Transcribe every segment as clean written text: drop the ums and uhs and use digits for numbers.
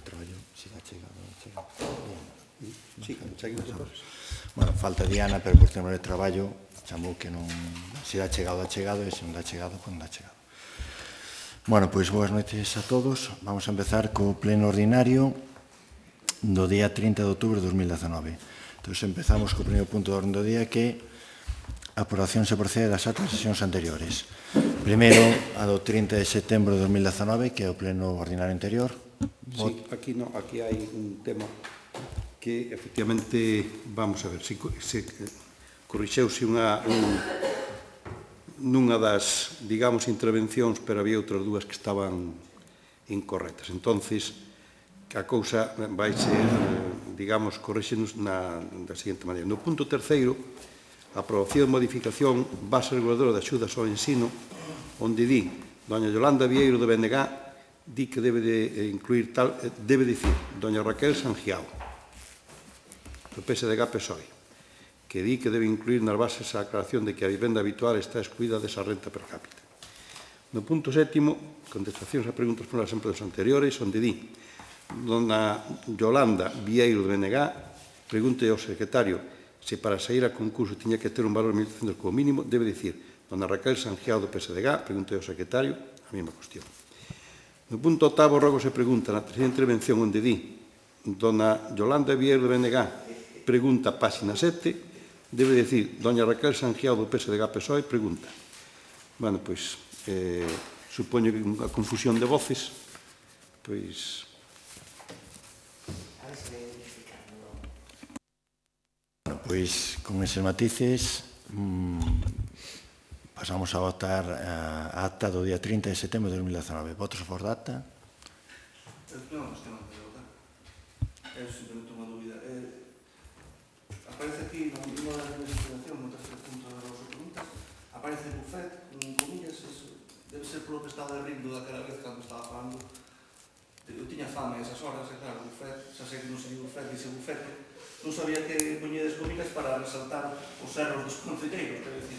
traballo, se dá chegado, non chegado. Sí, cheguen todos. Bueno, falta Diana, pero por tema de traballo, chamou que non, se dá chegado, e se non dá chegado, pois non dá chegado. Bueno, pois boas noites a todos. Vamos a empezar co pleno ordinario do día 30 de outubro de 2019. Entón, empezamos co primeiro punto do orden do día, que a aprobación se procede das actas de sesións anteriores. Primeiro, a do 30 de setembro de 2019, que é o pleno ordinario anterior. Sí, aquí no, aquí hai un tema que, efectivamente, vamos a ver, se corrixeuse nunha das, digamos, intervencións, pero había outras dúas que estaban incorrectas. Entonces, a cousa vai ser, digamos, corrixenos da seguinte maneira. No punto terceiro, a aprobación de modificación base reguladora de axudas ao ensino, onde di, doña Yolanda Vieiro de Benegá, di que debe de incluir tal, debe dicir, doña Raquel Sangiao, do PSDG-PSOE, que di que debe incluir nas bases a aclaración de que a vivenda habitual está excluída desa renta per cápita. No punto sétimo, contestacións a preguntas por as empresas anteriores, onde di, dona Yolanda Vieiro de Benegá, pregunte ao secretario se para sair a concurso tiña que ter un valor de 1.300 como mínimo, debe dicir, dona Raquel Sangiao do PSDG, pregunte ao secretario, a mesma cuestión. No punto octavo, rogo se pregunta na terceira intervención onde di dona Yolanda Vieiro de Benegá pregunta páxina 7, debe dicir doña Raquel Sangiao do PSDG-PSOE pregunta. Bueno, pois, supoño que unha confusión de voces, pois... Bueno, pois, con eses matices, pasamos a votar a acta do día 30 de setembro de 2019. Votos a favor da acta? Non, que non quero votar. É simplemente unha dúbida. Aparece aquí, nunha das investigacións, no terceiro punto da vosa pregunta, aparece bufet, con comillas, eso debe ser polo que estaba rindo daquela vez cando estaba falando. Eu tiña fame a esas horas, e claro, bufet, xa sei que non sei bufet, dice bufete, non sabía que poñedes comillas para resaltar os erros dos concelleiros, quero dicir,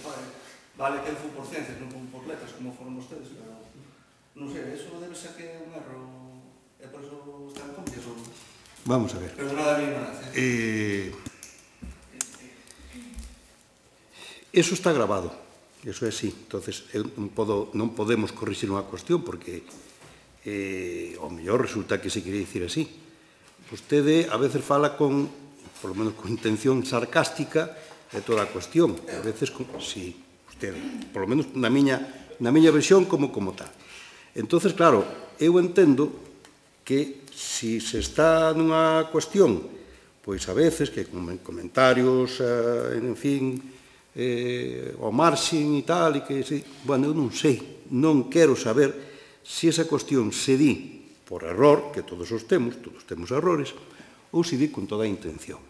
vale que eu fui por ciencias, non por letras, como foron vostedes, pero non sei, eso debe ser que é un erro, e por iso están comillas ou... Vamos a ver. Perdonada a mi ignorancia. Eso está grabado, eso é así. Entonces, non podemos corrixir unha cuestión, porque ao mellor resulta que se quería dicir así. Vostede a veces fala con, por lo menos con intención sarcástica, de toda a cuestión. A veces, sí, vostede, por lo menos na miña versión como tal. Entonces, claro, eu entendo que se está nunha cuestión, pois a veces que con comentarios, en fin, ao marxen e tal, e que, bueno, eu non sei, non quero saber se esa cuestión se di por error, que todos temos errores, ou se di con toda a intención.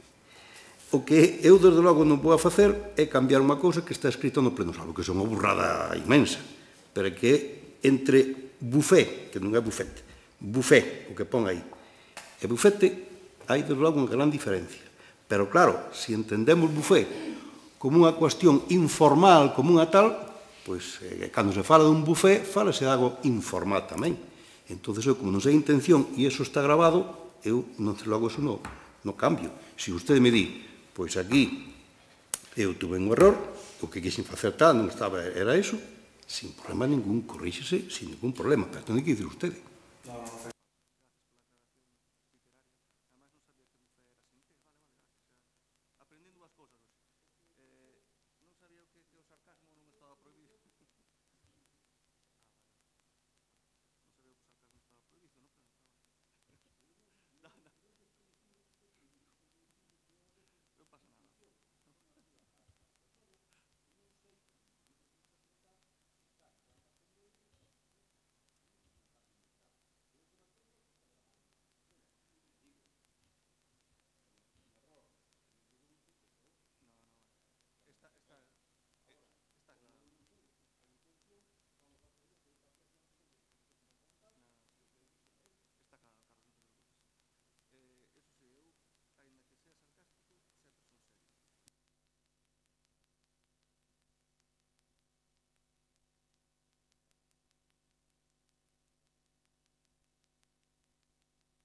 O que eu, desde logo, non vou a facer é cambiar unha cousa que está escrita no pleno salvo, que é unha burrada inmensa, pero que entre bufé, que non é bufete, bufé, o que pon aí, e bufete, hai, desde logo, unha gran diferencia. Pero, claro, se entendemos bufé como unha cuestión informal, como unha tal, pois, cando se fala dun bufé, falase de algo informal tamén. Entón, eu, como non sei a intención, e iso está grabado, eu, non sei logo, eso no cambio. Se vostede me di, pois aquí eu tuve un error, o que quixen facer tal, non estaba, era eso, sin problema ningún, corríxese, sin ningún problema, pero ten que dicir vostede.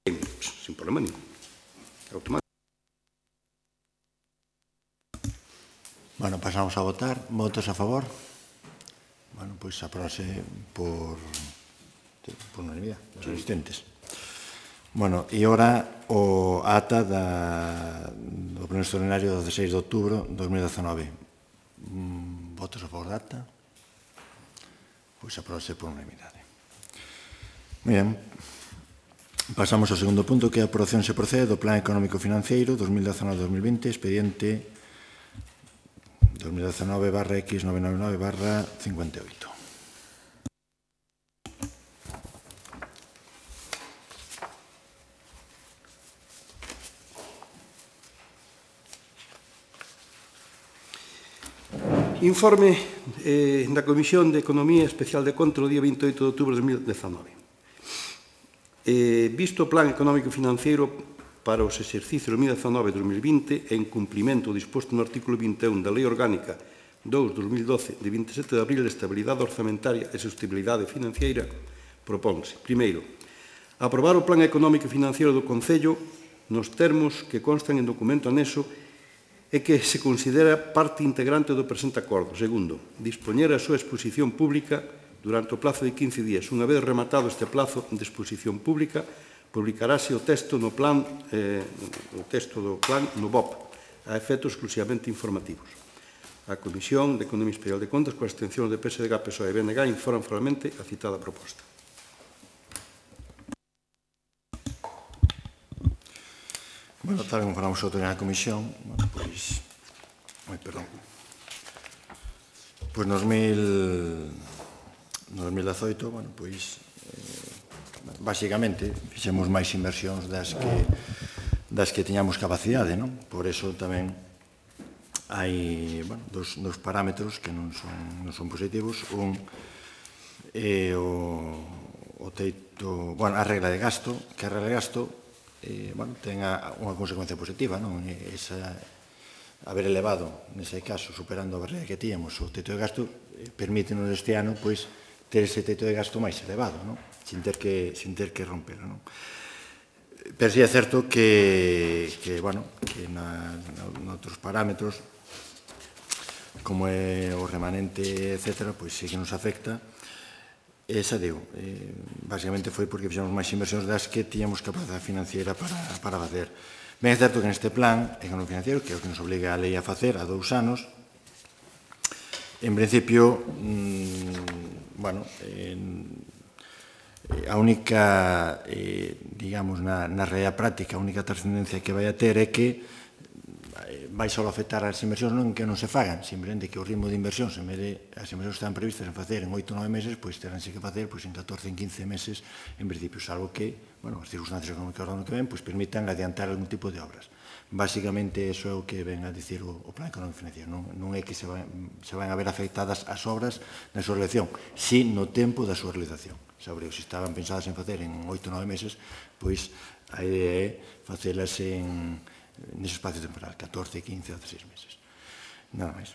Sin problema ningún. Automático. Bueno, pasamos a votar. Votos a favor? Bueno, pois aprobase por unanimidade dos asistentes. Bueno, e ora o ata do pleno extraordinario do 16 de outubro de 2019. Votos a favor da ata? Pois aprobase por unanimidade. Moi ben. Pasamos ao segundo punto, que é a aprobación se procede do Plan Económico Financeiro 2019-2020, expediente 2019/X999/58. Informe da Comisión de Economía Especial de Control do día 28 de outubro de 2019. Visto o Plan Económico Financeiro para os exercicios 2019 e 2020 en cumprimento do disposto no artículo 21 da Lei Orgánica 2/2012 de 27 de abril de Estabilidade Orzamentaria e Sostenibilidade Financiera, propónse, primeiro, aprobar o Plan Económico Financeiro do Concello nos termos que constan en documento anexo e que se considera parte integrante do presente acordo. Segundo, dispoñer a súa exposición pública durante o plazo de 15 días. Unha vez rematado este plazo de exposición pública, publicarase o texto do plan no BOP, a efectos exclusivamente informativos. A Comisión de Economía Especial de Contas, coa abstención de PSDG, PSOE e BNG, informan formalmente a citada proposta. Bueno, tal como falamos outro na comisión, bueno, pois no 2018, bueno, pois basicamente fixemos máis inversións das que tiñamos capacidade, non? Por eso tamén hai, bueno, dos parámetros que non son positivos. Un é o teito, bueno, a regla de gasto, que a regla de gasto bueno, tenga unha consecuencia positiva, non? Haber elevado, nese caso, superando a barreira que tíamos o teito de gasto, permítenos este ano, pois, ter ese teito de gasto máis elevado, non? Sin ter que rompelo, non? Pero sí é certo que noutros parámetros, como é o remanente, etc., pois sí que nos afecta. Esa digo, basicamente foi porque fixemos máis inversións das que tiñamos capacidade financiera para facer. Ben, é certo que neste plan económico financiero, que é o que nos obliga a lei a facer a 2 anos, en principio, bueno, a única, digamos, na realidade práctica, a única trascendencia que vai a ter é que vai só afectar as inversións non que non se fagan, simplemente que o ritmo de inversións, en vez de as inversións que están previstas en facer en 8 ou 9 meses, pois teránse que facer en 14, en 15 meses, en principio, salvo que, bueno, as circunstancias económicas do ano que ven, pois permitan adiantar algún tipo de obras. Básicamente, eso é o que ven a dicir o Plan Económico Financiero. Non é que se van a ver afectadas as obras na súa realización, si no tempo da súa realización. Sobre se estaban pensadas en facer en 8 ou 9 meses, pois a idea é facelas nese espacio temporal, 14, 15 ou 16 meses. Nada máis.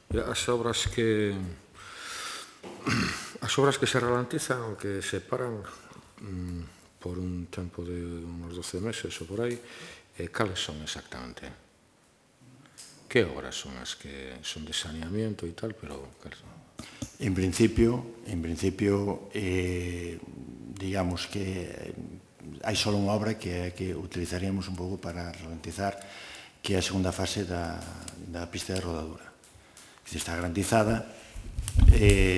As obras que se ralentizan ou que se paran por un tempo de uns 12 meses ou por aí, cales son exactamente? Que obras son as que son de saneamiento e tal, pero cales son? En principio, digamos que hai só unha obra que utilizaríamos un pouco para ralentizar, que é a segunda fase da pista de rodadura. Está garantizada,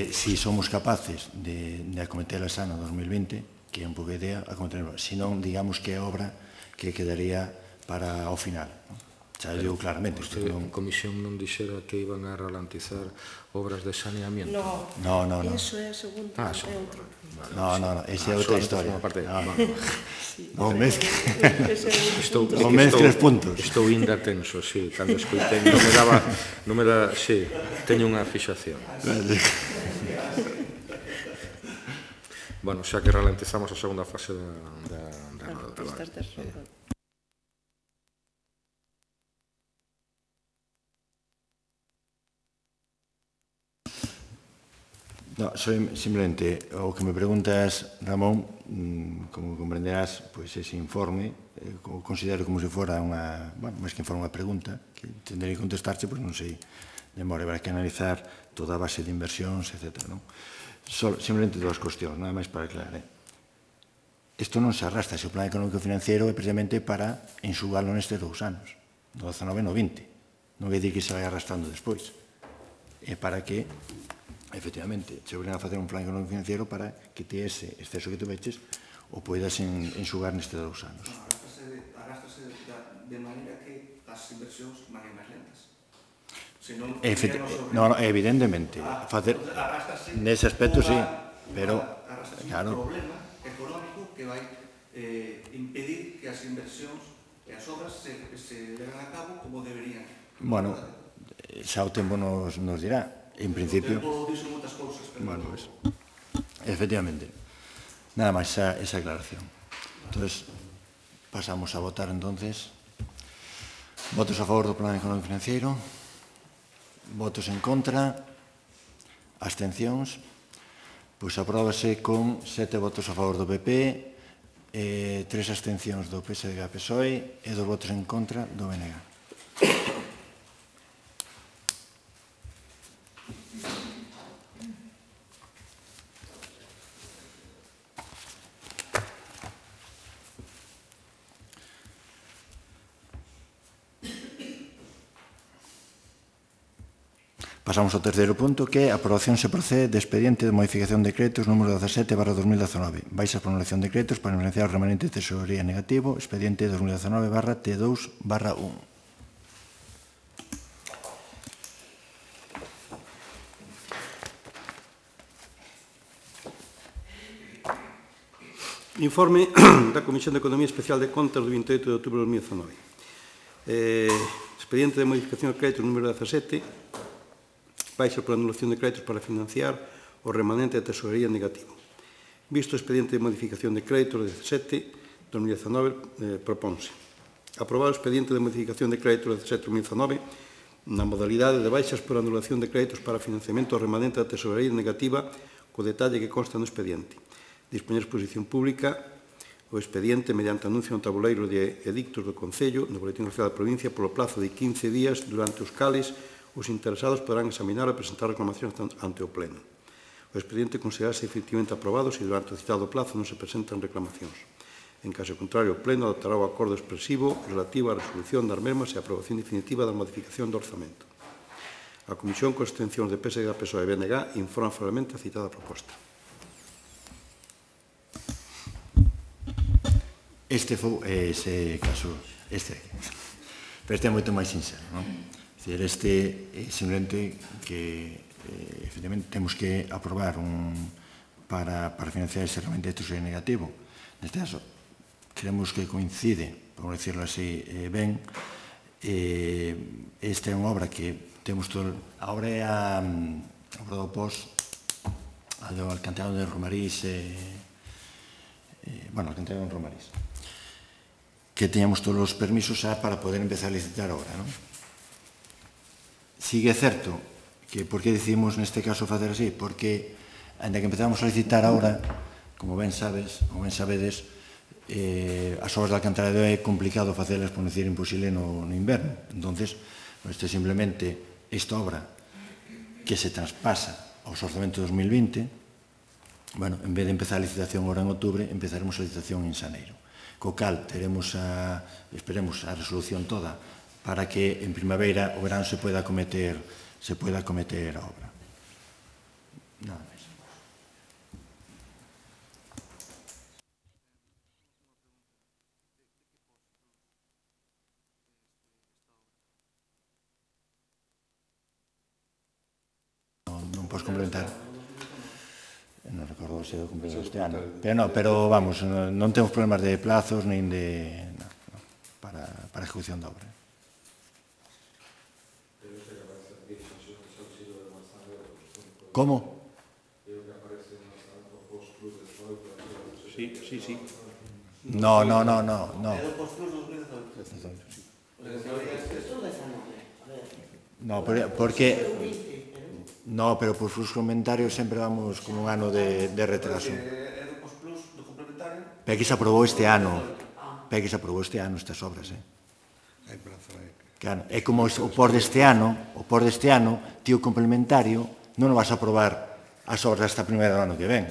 si somos capaces de acometela xa no 2020, que é un pouco a idea, acometela, senón, digamos que é obra que quedaría para o final. Xa digo claramente. Vostede, a Comisión non dixera que iban a ralentizar obras de saneamiento? No. Eso é a segunda, é outro. No, esa é outra historia. Non Estou mezcles puntos. Estou inda tenso, sí, cando escoitei, non me dá, sí, teño unha fixación. Bueno, xa que ralentizamos a segunda fase da pistas de rodadura. No, simplemente, o que me preguntas, Ramón, como comprenderás, pois ese informe, considero como se fora unha, bueno, máis que fora unha pregunta, que tendrei que contestarche, pois non sei, de memória, habrá que analizar toda a base de inversións, etc. Simplemente dúas cuestións, nada máis para aclarar. Isto non se arrastra, se o plan económico financiero é precisamente para enxugalo nestes 2 anos, no 19 e no 20. Non quer dizer que se vai arrastrando despois. É para que, efectivamente, se obrigan a facer un plan económico financiero para que te ese exceso que te veches o poidas enxugar nestes 2 anos. Arrástrase de maneira que as inversións van máis lentas. No, evidentemente. Nese aspecto, sí, pero, claro, un problema económico que vai impedir que as inversións e as obras se levan a cabo como deberían. Bueno, xa o tempo nos dirá. En principio, o tempo dixo moitas cousas, pero... Bueno, pues, efectivamente. Nada máis esa aclaración. Entonces, pasamos a votar entonces. Votos a favor do plan económico financiero. Votos en contra. Abstencións. Pois apróbase con 7 votos a favor do PP, 3 abstencións do PSG e PSOE e 2 votos en contra do BNG. Pasamos ao terceiro punto, que é a aprobación se procede de expediente de modificación de créditos número 17/2019. Baixa por anulación de créditos para financiar o remanente de tesorería negativo, expediente 2019/T2/1. Informe da Comisión de Economía Especial de Contas do 28 de outubro de 2019. Expediente de modificación de créditos número 17, baixa por anulación de créditos para financiar o remanente de tesorería negativo. Visto o expediente de modificación de créditos de 17/2019, propónse aprobar o expediente de modificación de créditos de 17/2019 na modalidade de baixas por anulación de créditos para financiamento o remanente da tesorería negativa co detalle que consta no expediente. Dispoñer exposición pública o expediente mediante anuncio no tabuleiro de edictos do Concello no Boletín Oficial da Provincia polo plazo de 15 días durante os cales os interesados poderán examinar e presentar reclamacións ante o Pleno. O expediente considerarse efectivamente aprobado se durante o citado plazo non se presentan reclamacións. En caso contrario, o Pleno adoptará o acordo expresivo relativo á resolución das mesmas e a aprobación definitiva da modificación do orzamento. A Comisión con abstencións de PSG, PSOE e BNG informa favorablemente a citada proposta. Este foi ese caso, pero este é moito máis sincero, non? Este é simplemente que efectivamente temos que aprobar para financiar ese remanente de tesorería negativo. Neste caso, creemos que coincide, por decirlo así, ben. Esta é unha obra que temos todo... A obra é a obra do POS, a do Alcantarado de Romarís, bueno, Alcantarado de Romarís, que teñamos todos os permisos para poder empezar a licitar ahora, non? Sigue certo que por que decidimos neste caso facer así? Porque, ainda que empezamos a licitar agora, como ben sabedes, as obras de alcantarillado é complicado facelas, por non dicir imposible, no inverno. Entonces, isto é simplemente esta obra que se traspasa aos orzamentos 2020, bueno, en vez de empezar a licitación agora en outubro, empezaremos a licitación en xaneiro. Co cal, esperemos a resolución toda para que en primavera o verán se poida acometer a obra. Nada máis. Non podes complementar. Non recordo se do completo este ano. Pero vamos, non temos problemas de plazos nin de... para a ejecución da obra. Como? Sí. No. É do Postruz 2018. No, porque... No, pero por sus comentarios sempre vamos con un ano de retraso. É do Postruz, do complementario. Pero que se aprobou este ano. Estas obras, Hai prazo, Claro, é como o por deste ano, tío complementario, non o vas a aprobar as obras hasta a primera do ano que ven.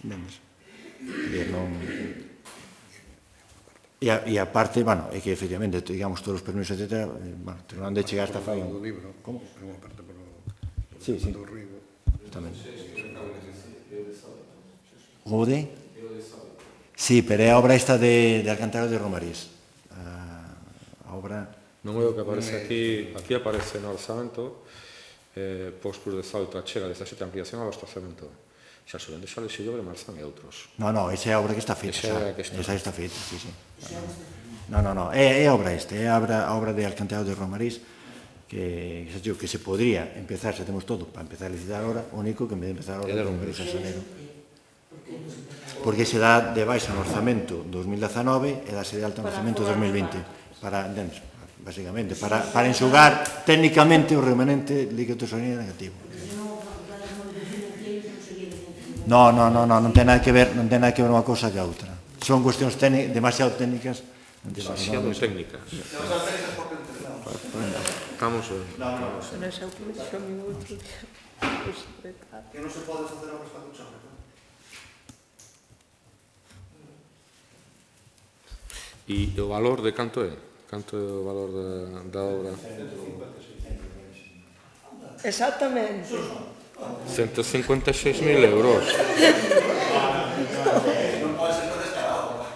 Entendes? E aparte, bueno, é que efectivamente, digamos, todos os permisos, etc., bueno, terminando de chegar hasta fai... Como? É unha parte polo... Sí. do Rigo. Justamente. O de? Sí, pero é a obra esta de Alcantarillado de Romarís. A obra... Non é o que aparece aquí aparece no orzamento, Postruz de Salto, a chega desta sete ampliación ao abastecemento. Xa suben de Xales e Llobre, Marzán e outros. No, esa é a obra que está feita. Esa está feita, sí. No, é a obra esta, é a obra de Alcantarillado de Romarís, que se podría empezar, se temos todo, para empezar a licitar ahora, o único que en vez de empezar ahora, Romarís a xaneiro. Porque se dá de baixa no orzamento 2019 e dase de alta no orzamento 2020. Para, entendes, basicamente, para enxugar técnicamente o remanente líquido tesorería negativo. No, non ten nada que ver unha cousa que a outra. Son cuestións demasiado técnicas. Demasiado técnicas. Estamos... Nesa última xa minuto, o secretario. Que non se pode facer obras para cuchar, non? E o valor de canto é? Canto é o valor da obra? Exactamente. 156.000 euros. Non pode ser para descarado.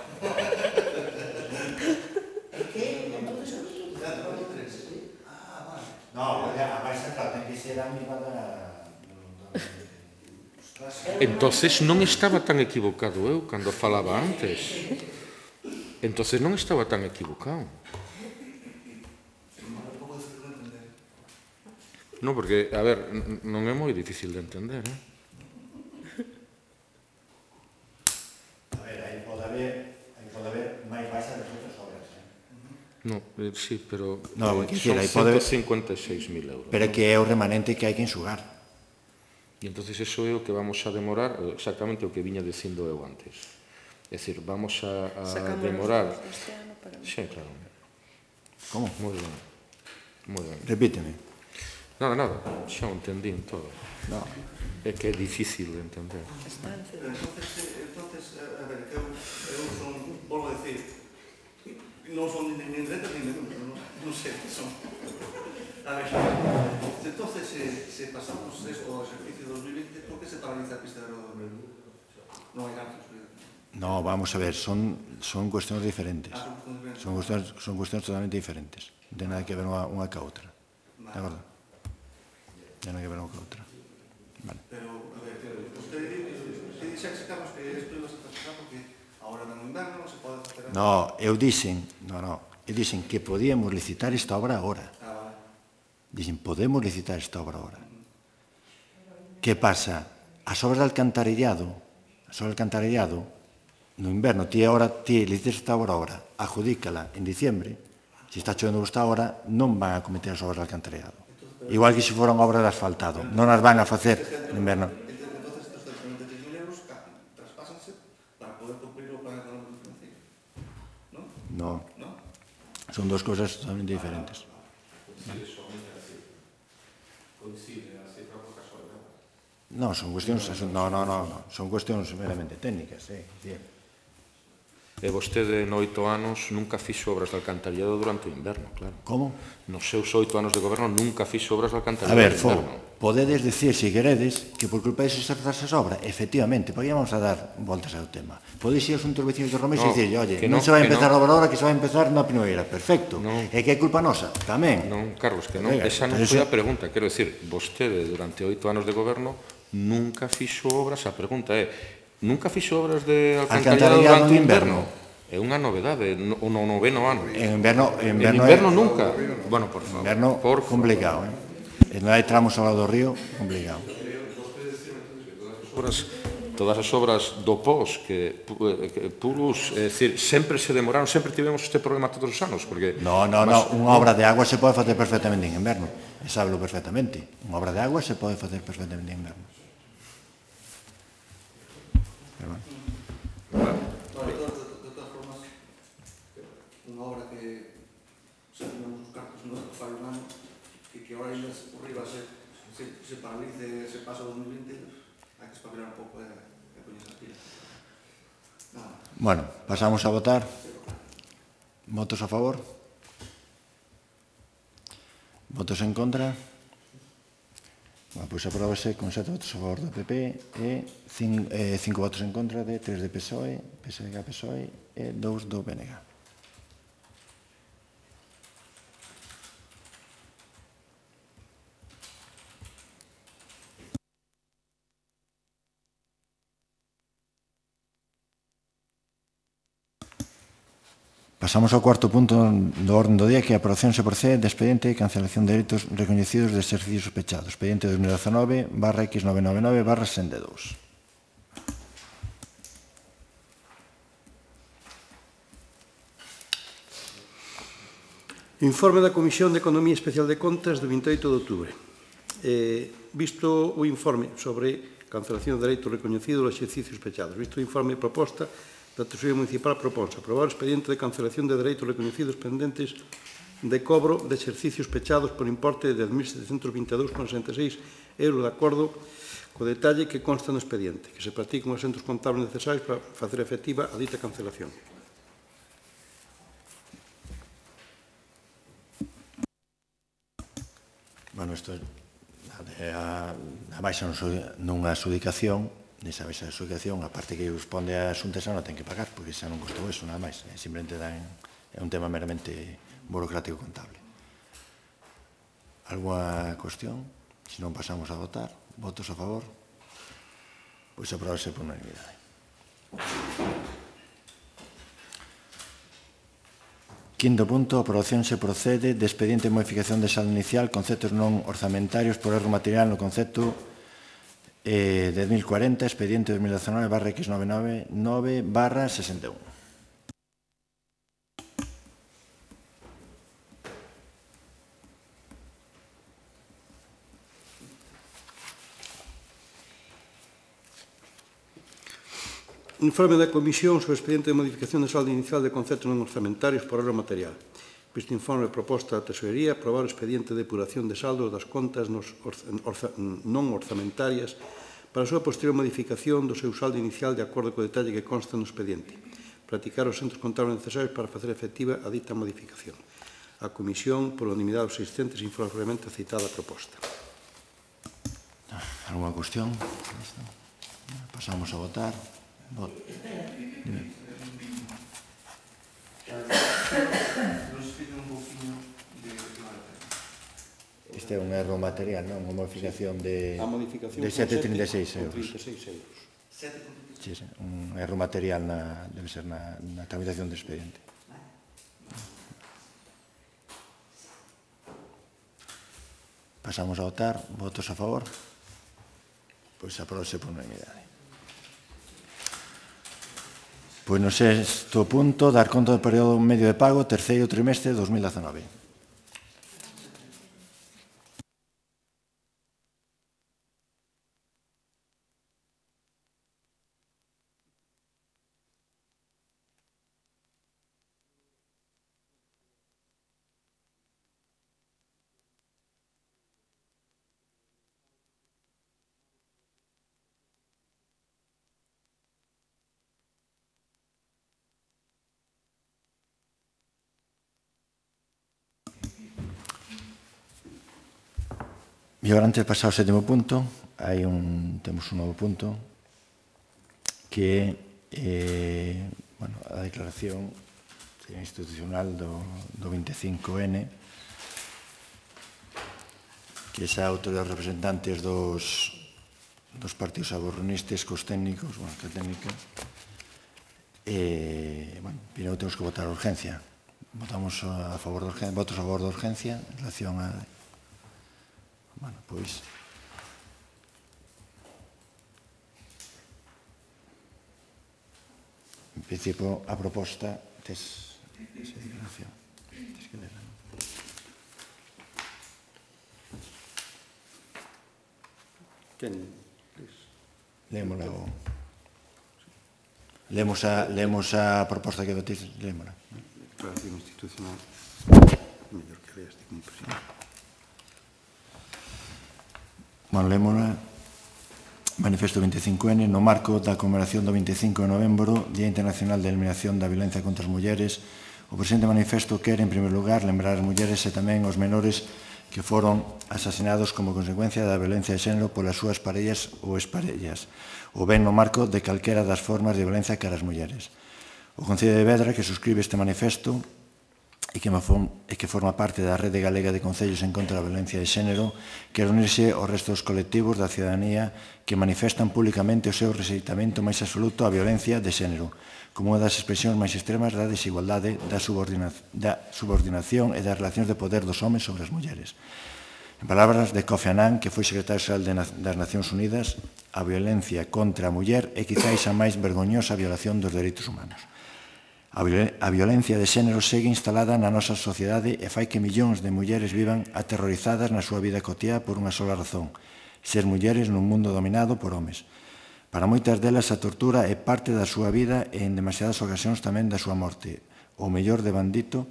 No, a baixa ten que ser a mesma da... Entonces non estaba tan equivocado eu cando falaba antes. Entonces non estaba tan equivocado. No, porque, a ver, non é moi difícil de entender, A ver, aí pode haber máis baixa das outras obras, No, sí, pero No, son 156.000 euros. Pero que é o remanente que hai que enxugar. E entonces eso é o que vamos a demorar, exactamente o que viña dicindo eu antes. É dicir, vamos a demorar... Sí, claro. Como? Moi ben. Repíteme. Nada, xa o entendín todo. No. É que é difícil de entender. Entonces, a ver, que eu son, volvo a decir, non son nin dereita nin nenhum, non sei que son. A ver, entonces, se pasamos esto ao exercicio 2020, por que se paraliza a pista de aerodrome? Non hai datos. No, vamos a ver, son cuestións diferentes. Son cuestións totalmente diferentes. Non ten nada que ver unha ca outra. De acordo? Non ten nada que ver unha ca outra. Vale. Pero, a ver, usted dixese, Carlos, que isto iba a pasar porque agora no inverno non se pode facer... No, eu dixen que podíamos licitar esta obra agora. Dixen, podemos licitar esta obra agora. Que pasa? As obras de alcantarillado, no inverno, ti licitas esta obra agora, adjudícala en diciembre, se está chovendo esta hora, non van a cometer as obras de alcantarillado. Igual que se foran obras de asfaltado. Non as van a facer en inverno. Entonces, estos 193.000 euros traspásanse para poder cumplir o plan económico financiero. ¿No? No. Son dos cosas totalmente diferentes. No, son cuestións, son cuestións meramente técnicas, E vostede, en 8 anos, nunca fixo obras de alcantarillado durante o inverno, claro. Como? Nos seus 8 anos de goberno nunca fixo obras de A alcantarillado ver, do inverno. podedes decir, se queredes, que por culpa de esas obras, efectivamente, porque vamos a dar voltas ao tema. Podedes ir aos outros vecinos de Romés e dicir, oye, non se vai a empezar a obra ahora, que se vai a empezar na primavera. Perfecto. E que é culpa nosa? Tamén. Non, Carlos, que non, esa non foi a pregunta. Quero dicir, vostede, durante 8 anos de goberno, nunca fixo obras. A pregunta é, nunca fixo obras de alcantarillado durante o inverno? É unha novedade, o no 9º ano. En inverno nunca. Bueno, por favor. Inverno complicado, E non hai tramos ao lado do río, complicado. Todas as obras do POS que puros, é dicir, sempre se demoraron, sempre tivemos este problema todos os anos, porque... No, unha obra de agua se pode facer perfectamente en inverno, e sábelo perfectamente. Unha obra de agua se pode facer perfectamente en inverno. De todas formas, unha obra que xa tenemos os cartos no fallo un ano, que ahora ainda por riba se paralice, se pasa o 2020, hai que espabilar un pouco e poñerse as pilas. Bueno, pasamos a votar. Votos a favor? Votos en contra? Bueno, pois aprobase con 7 votos a favor do PP e 5 votos en contra de 3 de PSOE, PSG, PSOE e 2 do BNG. Pasamos ao cuarto punto do orden do día, que é a aprobación se procede de expediente de cancelación de dereitos recoñecidos de exercicios sospechados. Expediente 2019/X999/62. Informe da Comisión de Economía Especial de Contas do 28 de outubro. Visto o informe sobre cancelación de dereitos recoñecidos dos exercicios sospechados, visto o informe proposta da Tesorería Municipal, proponse aprobar o expediente de cancelación de dereitos recoñecidos pendentes de cobro de exercicios pechados por importe de 10.722,66 euros de acordo co detalle que consta no expediente, que se practican os asentos contables necesarios para facer efectiva a dita cancelación. Bueno, isto a baixa nunha adxudicación, nesa baixa adxudicación, a parte que responde a Xunta xa non ten que pagar, porque xa non costou eso, nada máis. Simplemente é un tema meramente burocrático contable. Alguna cuestión? Se non pasamos a votar. Votos a favor? Pois aprobase por unanimidade. Quinto punto, aprobación se procede de expediente de modificación de saldo inicial, conceptos non orzamentarios por erro material no concepto 10.040, expediente 2019/X999/61. Informe da Comisión sobre o expediente de modificación de saldo inicial de conceptos non orzamentarios por erro material. Visto informe proposta da Tesorería, aprobar o expediente de depuración de saldos das contas non orzamentarias para a súa posterior modificación do seu saldo inicial de acordo co detalle que consta no expediente. Practicar os centros contables necesarios para facer efectiva a dita modificación. A Comisión, por unanimidade dos asistentes, informa previamente a citada proposta. Alguna cuestión? Pasamos a votar. Este é un erro material, non? Unha modificación de 7,36 euros. Sí, un erro material debe ser na tramitación do expediente. Pasamos a votar. Votos a favor? Pois aprobase por unanimidade. Pois no sexto punto, dar conta do período medio de pago, terceiro trimestre de 2019. E agora, antes de pasar ao sétimo punto, temos un novo punto que é a declaración institucional do 25N, que xa autores representantes dos partidos aborronistas cos técnicos, que técnica, primeiro temos que votar a urgencia. Votamos a favor da urgencia, votos a favor da urgencia en relación a... pois... En principio, a proposta tes esa declaración. Tens que lerla, non? Lémola o... Lemos a proposta que votéis, lémola. Declaración institucional. Mellor que leas como presidente. Lémola. Manifesto 25N, no marco da conmemoración do 25 de novembro, Día Internacional de Eliminación da Violencia contra as Mulleres, o presente manifesto quere, en primeiro lugar, lembrar as mulleres e tamén os menores que foron asasinados como consecuencia da violencia de xénero polas súas parellas ou exparellas, ou ben no marco de calquera das formas de violencia cara as mulleres. O Concello de Vedra, que suscribe este manifesto e que forma parte da Rede Galega de Concellos en contra da violencia de xénero, quere unirse aos restos colectivos da cidadanía que manifestan públicamente o seu rexeitamento máis absoluto á violencia de xénero, como unha das expresións máis extremas da desigualdade, da subordinación e das relacións de poder dos homes sobre as mulleres. En palabras de Kofi Annan, que foi secretario xeral das Nacións Unidas, a violencia contra a muller é quizáis a máis vergoñosa violación dos dereitos humanos. A violencia de xénero segue instalada na nosa sociedade e fai que millóns de mulleres vivan aterrorizadas na súa vida cotiá por unha sola razón: ser mulleres nun mundo dominado por homes. Para moitas delas a tortura é parte da súa vida e en demasiadas ocasións tamén da súa morte, ou mellor de bandito,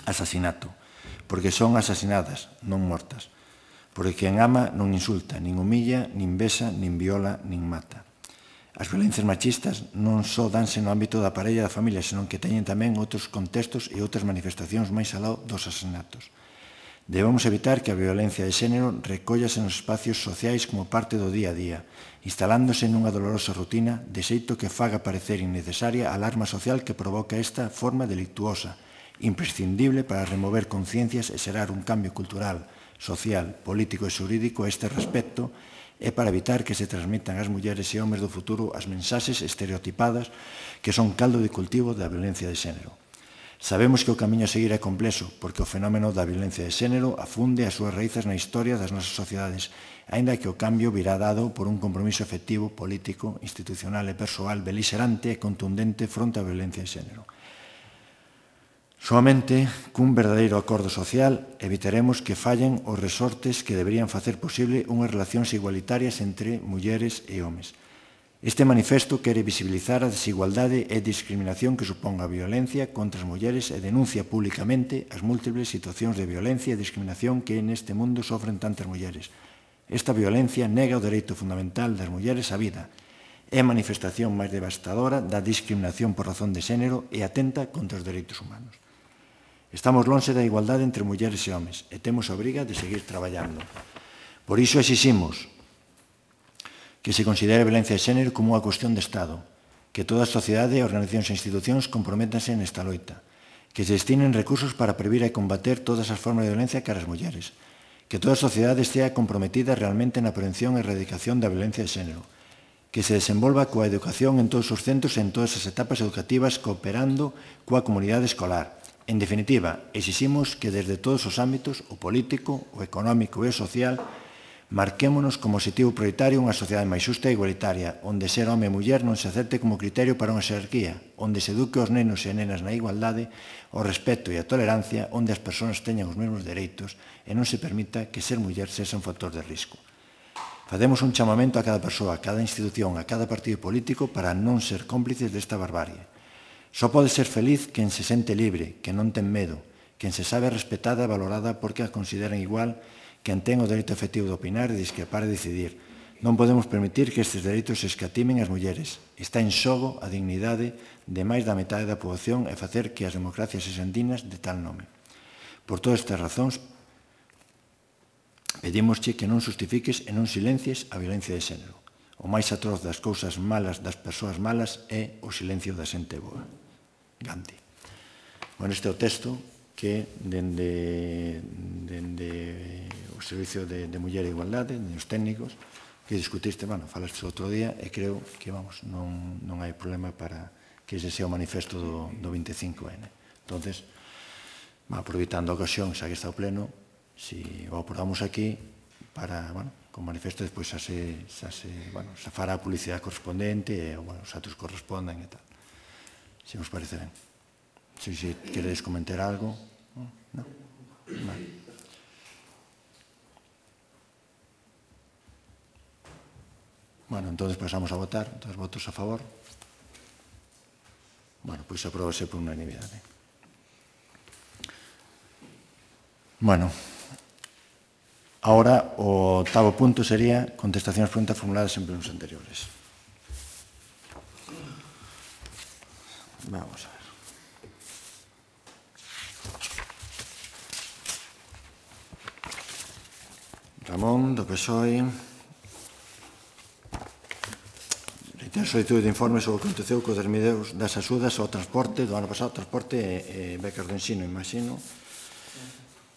asasinato, porque son asasinadas, non mortas, porque quen ama non insulta, nin humilla, nin besa, nin viola, nin mata. As violencias machistas non só danse no ámbito da parella e da familia, senón que teñen tamén outros contextos e outras manifestacións máis aló dos asasinatos. Debemos evitar que a violencia de xénero recollase nos espacios sociais como parte do día a día, instalándose nunha dolorosa rutina, de xeito que faga parecer innecesaria a alarma social que provoca esta forma delictuosa, imprescindible para remover conciencias e xerar un cambio cultural, social, político e xurídico a este respecto, e para evitar que se transmitan ás mulleres e homes do futuro as mensaxes estereotipadas que son caldo de cultivo da violencia de xénero. Sabemos que o camiño a seguir é complexo, porque o fenómeno da violencia de xénero afunde as súas raíces na historia das nosas sociedades, aínda que o cambio virá dado por un compromiso efectivo, político, institucional e persoal belixerante e contundente fronte á violencia de xénero. Soamente cun verdadeiro acordo social evitaremos que fallen os resortes que deberían facer posible unhas relacións igualitarias entre mulleres e homes. Este manifesto quere visibilizar a desigualdade e discriminación que supón a violencia contra as mulleres e denuncia públicamente as múltiples situacións de violencia e discriminación que neste mundo sofren tantas mulleres. Esta violencia nega o dereito fundamental das mulleres á vida, é a manifestación máis devastadora da discriminación por razón de xénero e atenta contra os dereitos humanos. Estamos lonxe da igualdade entre mulleres e homes e temos a obriga de seguir traballando. Por iso exiximos que se considere a violencia de xénero como unha cuestión de Estado, que toda a sociedade, organizacións e institucións comprométanse nesta loita, que se destinen recursos para previr e combater todas as formas de violencia cara as mulleres, que toda a sociedade estea comprometida realmente na prevención e erradicación da violencia de xénero, que se desenvolva coa educación en todos os centros e en todas as etapas educativas cooperando coa comunidade escolar. En definitiva, exiximos que desde todos os ámbitos, o político, o económico e o social, marquémonos como objetivo prioritario unha sociedade máis xusta e igualitaria, onde ser home e muller non se acepte como criterio para unha xerarquía, onde se eduque os nenos e nenas na igualdade, o respeto e a tolerancia, onde as persoas teñan os mesmos dereitos e non se permita que ser muller sexa un factor de risco. Facemos un chamamento a cada persoa, a cada institución, a cada partido político para non ser cómplices desta barbarie. Só pode ser feliz quen se sente libre, quen non ten medo, quen se sabe respetada e valorada porque a consideran igual, quen ten o dereito efectivo de opinar e discrepar e decidir. Non podemos permitir que estes dereitos se escatimen as mulleres. Está en xogo a dignidade de máis da metade da poboación e facer que as democracias sexan dignas de tal nome. Por todas estas razóns, Pedímosche que non justifiques e non silencies a violencia de xénero. O máis atroz das cousas malas das persoas malas é o silencio da xente boa. Gandhi. Bueno, este é o texto que dende o Servicio de Muller e Igualdade, dende os técnicos, que discutiste, bueno, falaste outro día, e creo que, vamos, non hai problema para que ese sea o manifesto do 25N. Entonces, aproveitando a ocasión, xa que está o pleno, si o aprobamos aquí, para, bueno, con manifesto despois xa se fará a publicidade correspondente e, bueno, os atos correspondan e tal. Se vos parece ben. Se queredes comentar algo. Non? Vale. Bueno, entonces pasamos a votar. Entonces, votos a favor. Bueno, pois apróbase por unanimidade. Bueno, ahora o octavo punto sería contestación ás preguntas formuladas en plenos anteriores. Vamos a ver. Ramón, do PSOE. Reitero solicitud de informe sobre o que aconteceu co desmedeus das axudas ao transporte do ano pasado, transporte e becas do ensino, imagino.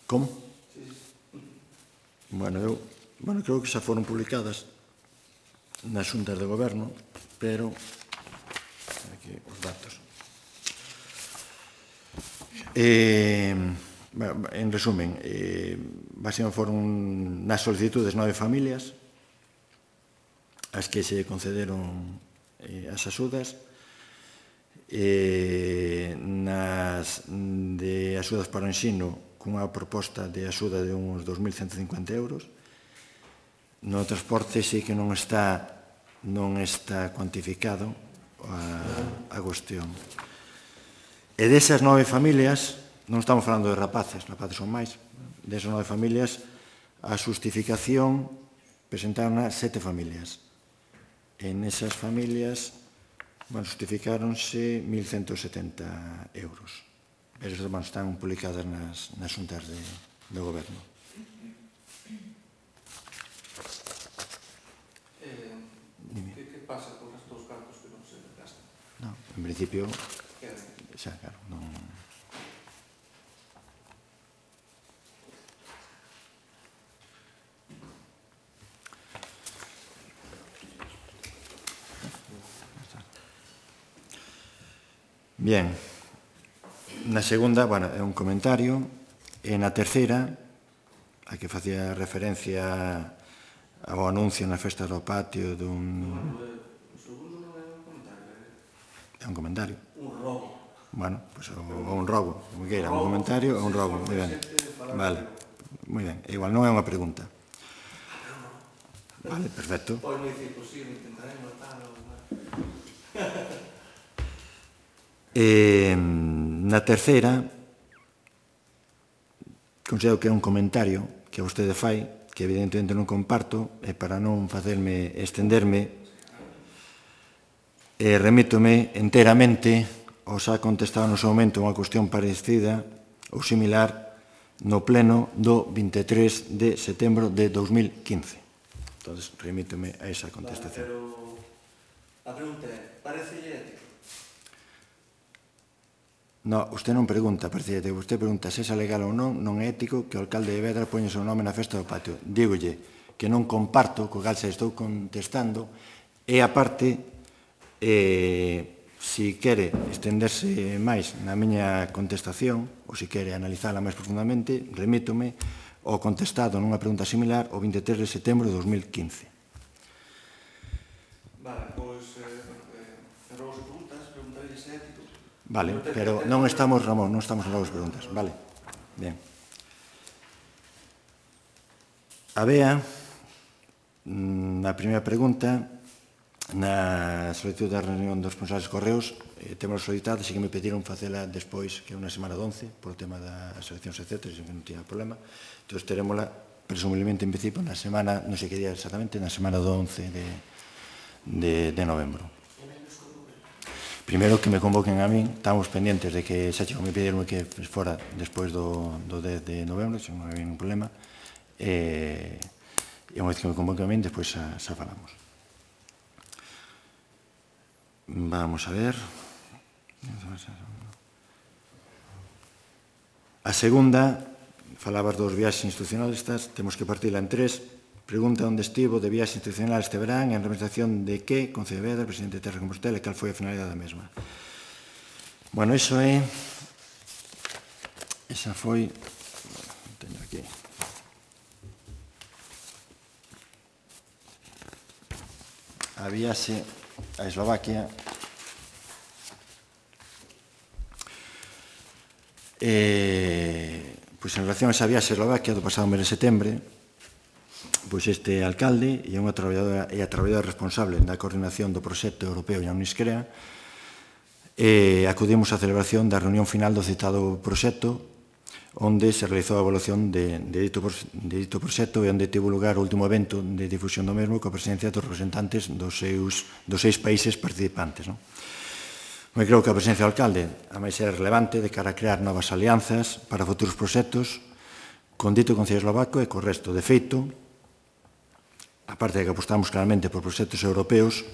Como? Bueno, creo que xa foron publicadas nas xuntas de goberno, pero aquí os datos. En resumen, básicamente foron nas solicitudes 9 familias as que se concederon as axudas, nas de axudas para o ensino cunha proposta de axuda de uns 2.150 euros. No transporte sí que non está cuantificado a cuestión. E desas 9 familias, non estamos falando de rapaces son máis, desas 9 familias, a xustificación presentaron a 7 familias. En esas familias, justificáronse 1.170 euros. Esas están publicadas nas xuntas de goberno. Que pasa con estos cartos que non se gastan? Non, en principio, xa, claro, non... Bien. Na segunda, bueno, é un comentario. E na terceira, a que facía referencia ao anuncio na festa do patio dun... O segundo non é un comentario, É un comentario. un robo. Bueno, pois ou un robo, como queira, un comentario ou un robo, moi ben. Vale, moi ben. Igual non é unha pregunta. Vale, perfecto. Pois non dicir posible, intentaré matar ou... Na terceira, considero que é un comentario que vostede fai, que evidentemente non comparto, e para non facerme estenderme, remítome enteramente ao xa contestado no seu momento unha cuestión parecida ou similar no pleno do 23 de setembro de 2015. Entón, remítome a esa contestación. Pero a pregunta é, parecelle ético? No, usted non pregunta, parece, usted pregunta se é legal ou non, non é ético que o alcalde de Vedra poña o seu nome na festa do patio. Dígolle que non comparto, co cal se estou contestando, e aparte, se quere estenderse máis na miña contestación, ou se quere analizala máis profundamente, remítome ao contestado nunha pregunta similar o 23 de setembro de 2015. Vale, pois, pero as preguntas, preguntarlle se é ético. Vale, pero non estamos, Ramón, non estamos en novas preguntas. Vale, bien. Había, na primeira pregunta, na solicitud da reunión dos responsables de correos, temos solicitado, así que me pediron facela despois, que é unha semana de 11, por o tema das eleccións, etc., que non tiña problema. Entón, terémola, presumiblemente, en principio, na semana, non sei que día exactamente, na semana do 11 de novembro. Primeiro que me convoquen a min, estamos pendientes de que xa chego, me pidieron que fora despois do 10 de novembro, se non hai ningún problema, e unha vez que me convoquen a min, despois xa falamos. Vamos a ver. A segunda, falabas dos viaxes institucionalistas, temos que partila en tres. Pregunta onde estivo de viaxe institucional este verán, en representación de que, Concello de Vedra, presidente de Terra de Compostela, e cal foi a finalidade da mesma. Bueno, iso é... Esa foi... Teño aquí... A viaxe a Eslovaquia... Pois en relación a esa viaxe a Eslovaquia do pasado mes de setembro, pois este alcalde e a traballadora responsable da coordinación do proxecto europeo e a Uniscrea acudimos á celebración da reunión final do citado proxecto, onde se realizou a evaluación de dito proxecto e onde tivo lugar o último evento de difusión do mesmo coa presencia dos representantes dos 6 países participantes. Eu creo que a presencia do alcalde a máis é relevante de cara a crear novas alianzas para futuros proxectos con dito Concello eslovaco e co resto. De feito, aparte de que apostamos claramente por proxectos europeos,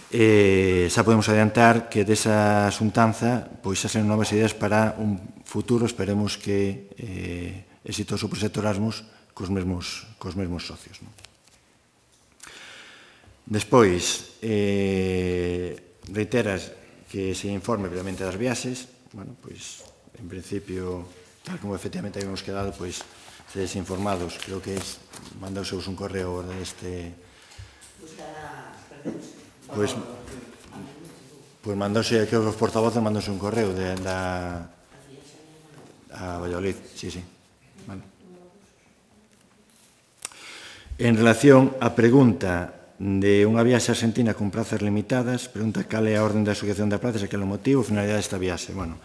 xa podemos adiantar que desa xuntanza pois xa salen novas ideas para un futuro, esperemos que exitoso proxecto Erasmus cos mesmos socios. Despois, reiteras que se informe previamente das viaxes. Bueno, pois, en principio, tal como efectivamente habíamos quedado, pois, sedes informados, creo que mandouseos un correo deste... Pois mandouse, creo que os portavoces mandouse un correo a Valladolid, sí. Vale. En relación á pregunta de unha viaxe a Argentina con plazas limitadas, pregunta cal é a orden de asociación de plazas e cal é o motivo, finalidade desta viaxe. Bueno,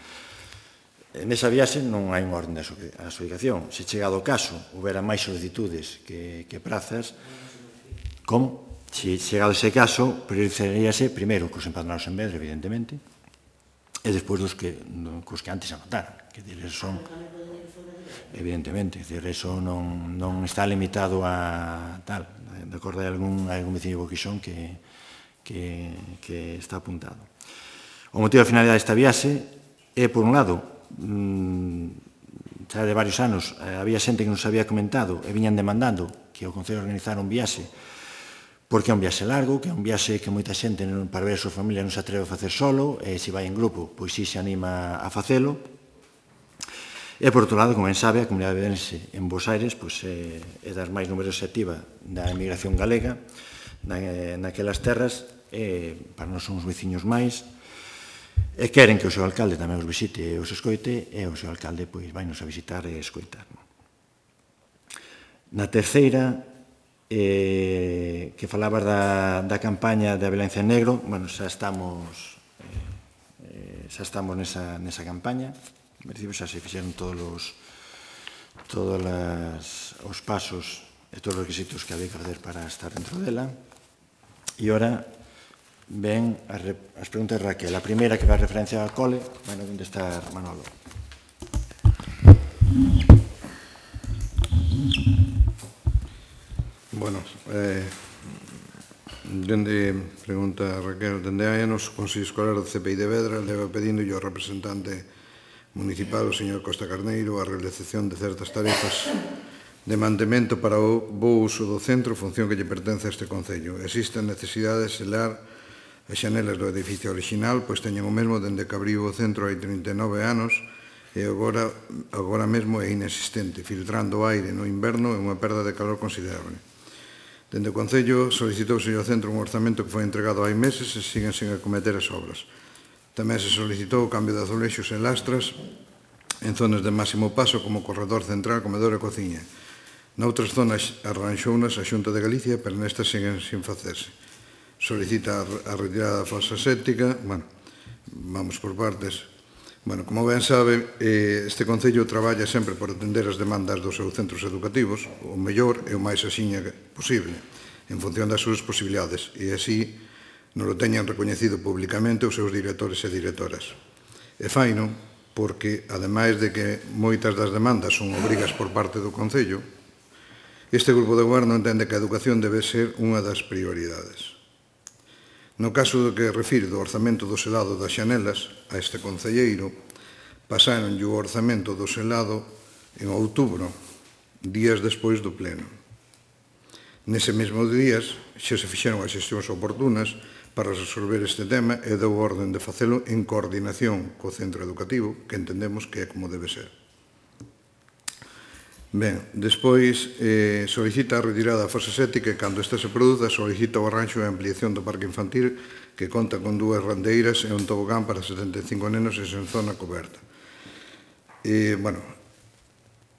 nesa viaxe non hai unha orden de asociación. Se chegado o caso, houbera máis solicitudes que plazas, como? Se chegado ese caso, priorizaríase primeiro cos empadronados en Vedra, evidentemente, e despois cos que antes anotaron, que diles son... Evidentemente, eso non está limitado a tal, de acordo a algún veciño de Boquixón que está apuntado. O motivo da finalidade desta viaxe é, por un lado, xa de varios anos, había xente que nos había comentado e viñan demandando que o Concello organizara un viaxe, porque é un viaxe largo, que é un viaxe que moita xente para ver a súa familia non se atreve a facer solo, e se vai en grupo, pois si se anima a facelo. E, por outro lado, como ben sabe, a comunidade vedrense en Bos Aires é das máis numerosas e activa da emigración galega naquelas terras, e para nós son os veciños máis, e queren que o seu alcalde tamén os visite e os escoite, e o seu alcalde vai nos a visitar e escoitar. Na terceira, que falabas da campaña de Violencia en Negro, xa estamos nesa campaña. En principio xa se fixeron todos os pasos e todos os requisitos que había que fazer para estar dentro dela. E ora ven as preguntas de Raquel. A primeira, que vai a referencia ao cole, vai a contestar Manolo. Bueno, pregunta Raquel, dende hai anos o Consello Escolar do CPI de Vedra leva pedindo ao representante municipal, o señor Costa Carneiro, a realización de certas tarefas de mantemento para o bo uso do centro, función que lle pertence a este Concello. Existen necesidades de selar as xanelas do edificio original, pois teñen o mesmo dende que abriu o centro hai 39 anos e agora mesmo é inexistente, filtrando o aire no inverno e unha perda de calor considerable. Dende o Concello solicitouse ao centro un orzamento que foi entregado hai meses e siguen sen acometer as obras. Tamén se solicitou o cambio de azulexos e lastras en zonas de máximo paso como corredor central, comedor e cociña. Noutras zonas arranxounas a Xunta de Galicia, pero nestas siguen sin facerse. Solicita a retirada da fosa séptica. Bueno, vamos por partes. Bueno, como ben sabe, este Concello traballa sempre por atender as demandas dos seus centros educativos, o mellor e o máis axiña posible, en función das súas posibilidades, e así non o teñan recoñecido públicamente os seus directores e directoras. E faino porque, ademais de que moitas das demandas son obrigas por parte do Concello, Este grupo de goberno entende que a educación debe ser unha das prioridades. No caso do que refire do orzamento do selado das xanelas, a este concelleiro pasaron o orzamento do selado en outubro, días despois do pleno. Nese mesmo días xa se fixeron as xestións oportunas para resolver este tema e deu orden de facelo en coordinación co centro educativo, que entendemos que é como debe ser. Ben, despois solicita a retirada da fosa séptica e cando esta se produza solicita o arranxo e ampliación do parque infantil que conta con 2 randeiras e un tobogán para 75 nenos e sen zona coberta. Bueno,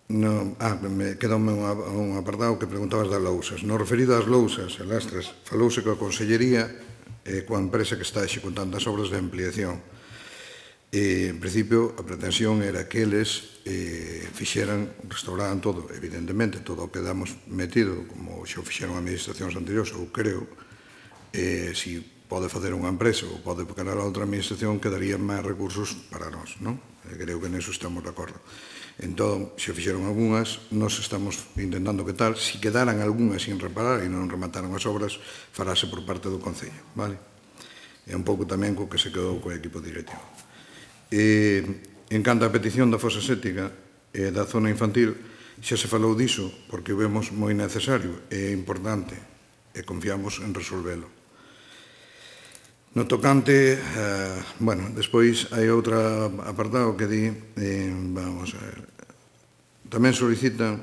me quedoume un apartado que preguntabas das lousas. No referido ás lousas e lastras, falouse coa Consellería e coa empresa que está executando as obras de ampliación. En principio, a pretensión era que eles restauraran todo, evidentemente, todo o que damos metido, como xa fixeron administracións anteriores, ou creo, si pode facer unha empresa ou pode pegar a outra administración, quedarían máis recursos para nós, non? Creo que neso estamos de acordo. Entón, se fixeron algunhas, nós estamos intentando que tal, se quedaran algunhas sin reparar e non remataran as obras, farase por parte do Concello, vale? E un pouco tamén co que se quedou co equipo directivo. En canto á petición da fosa séptica e da zona infantil, xa se falou diso porque o vemos moi necesario e importante e confiamos en resolvelo. No tocante, bueno, despois hai outro apartado que di, vamos a ver, tamén solicitan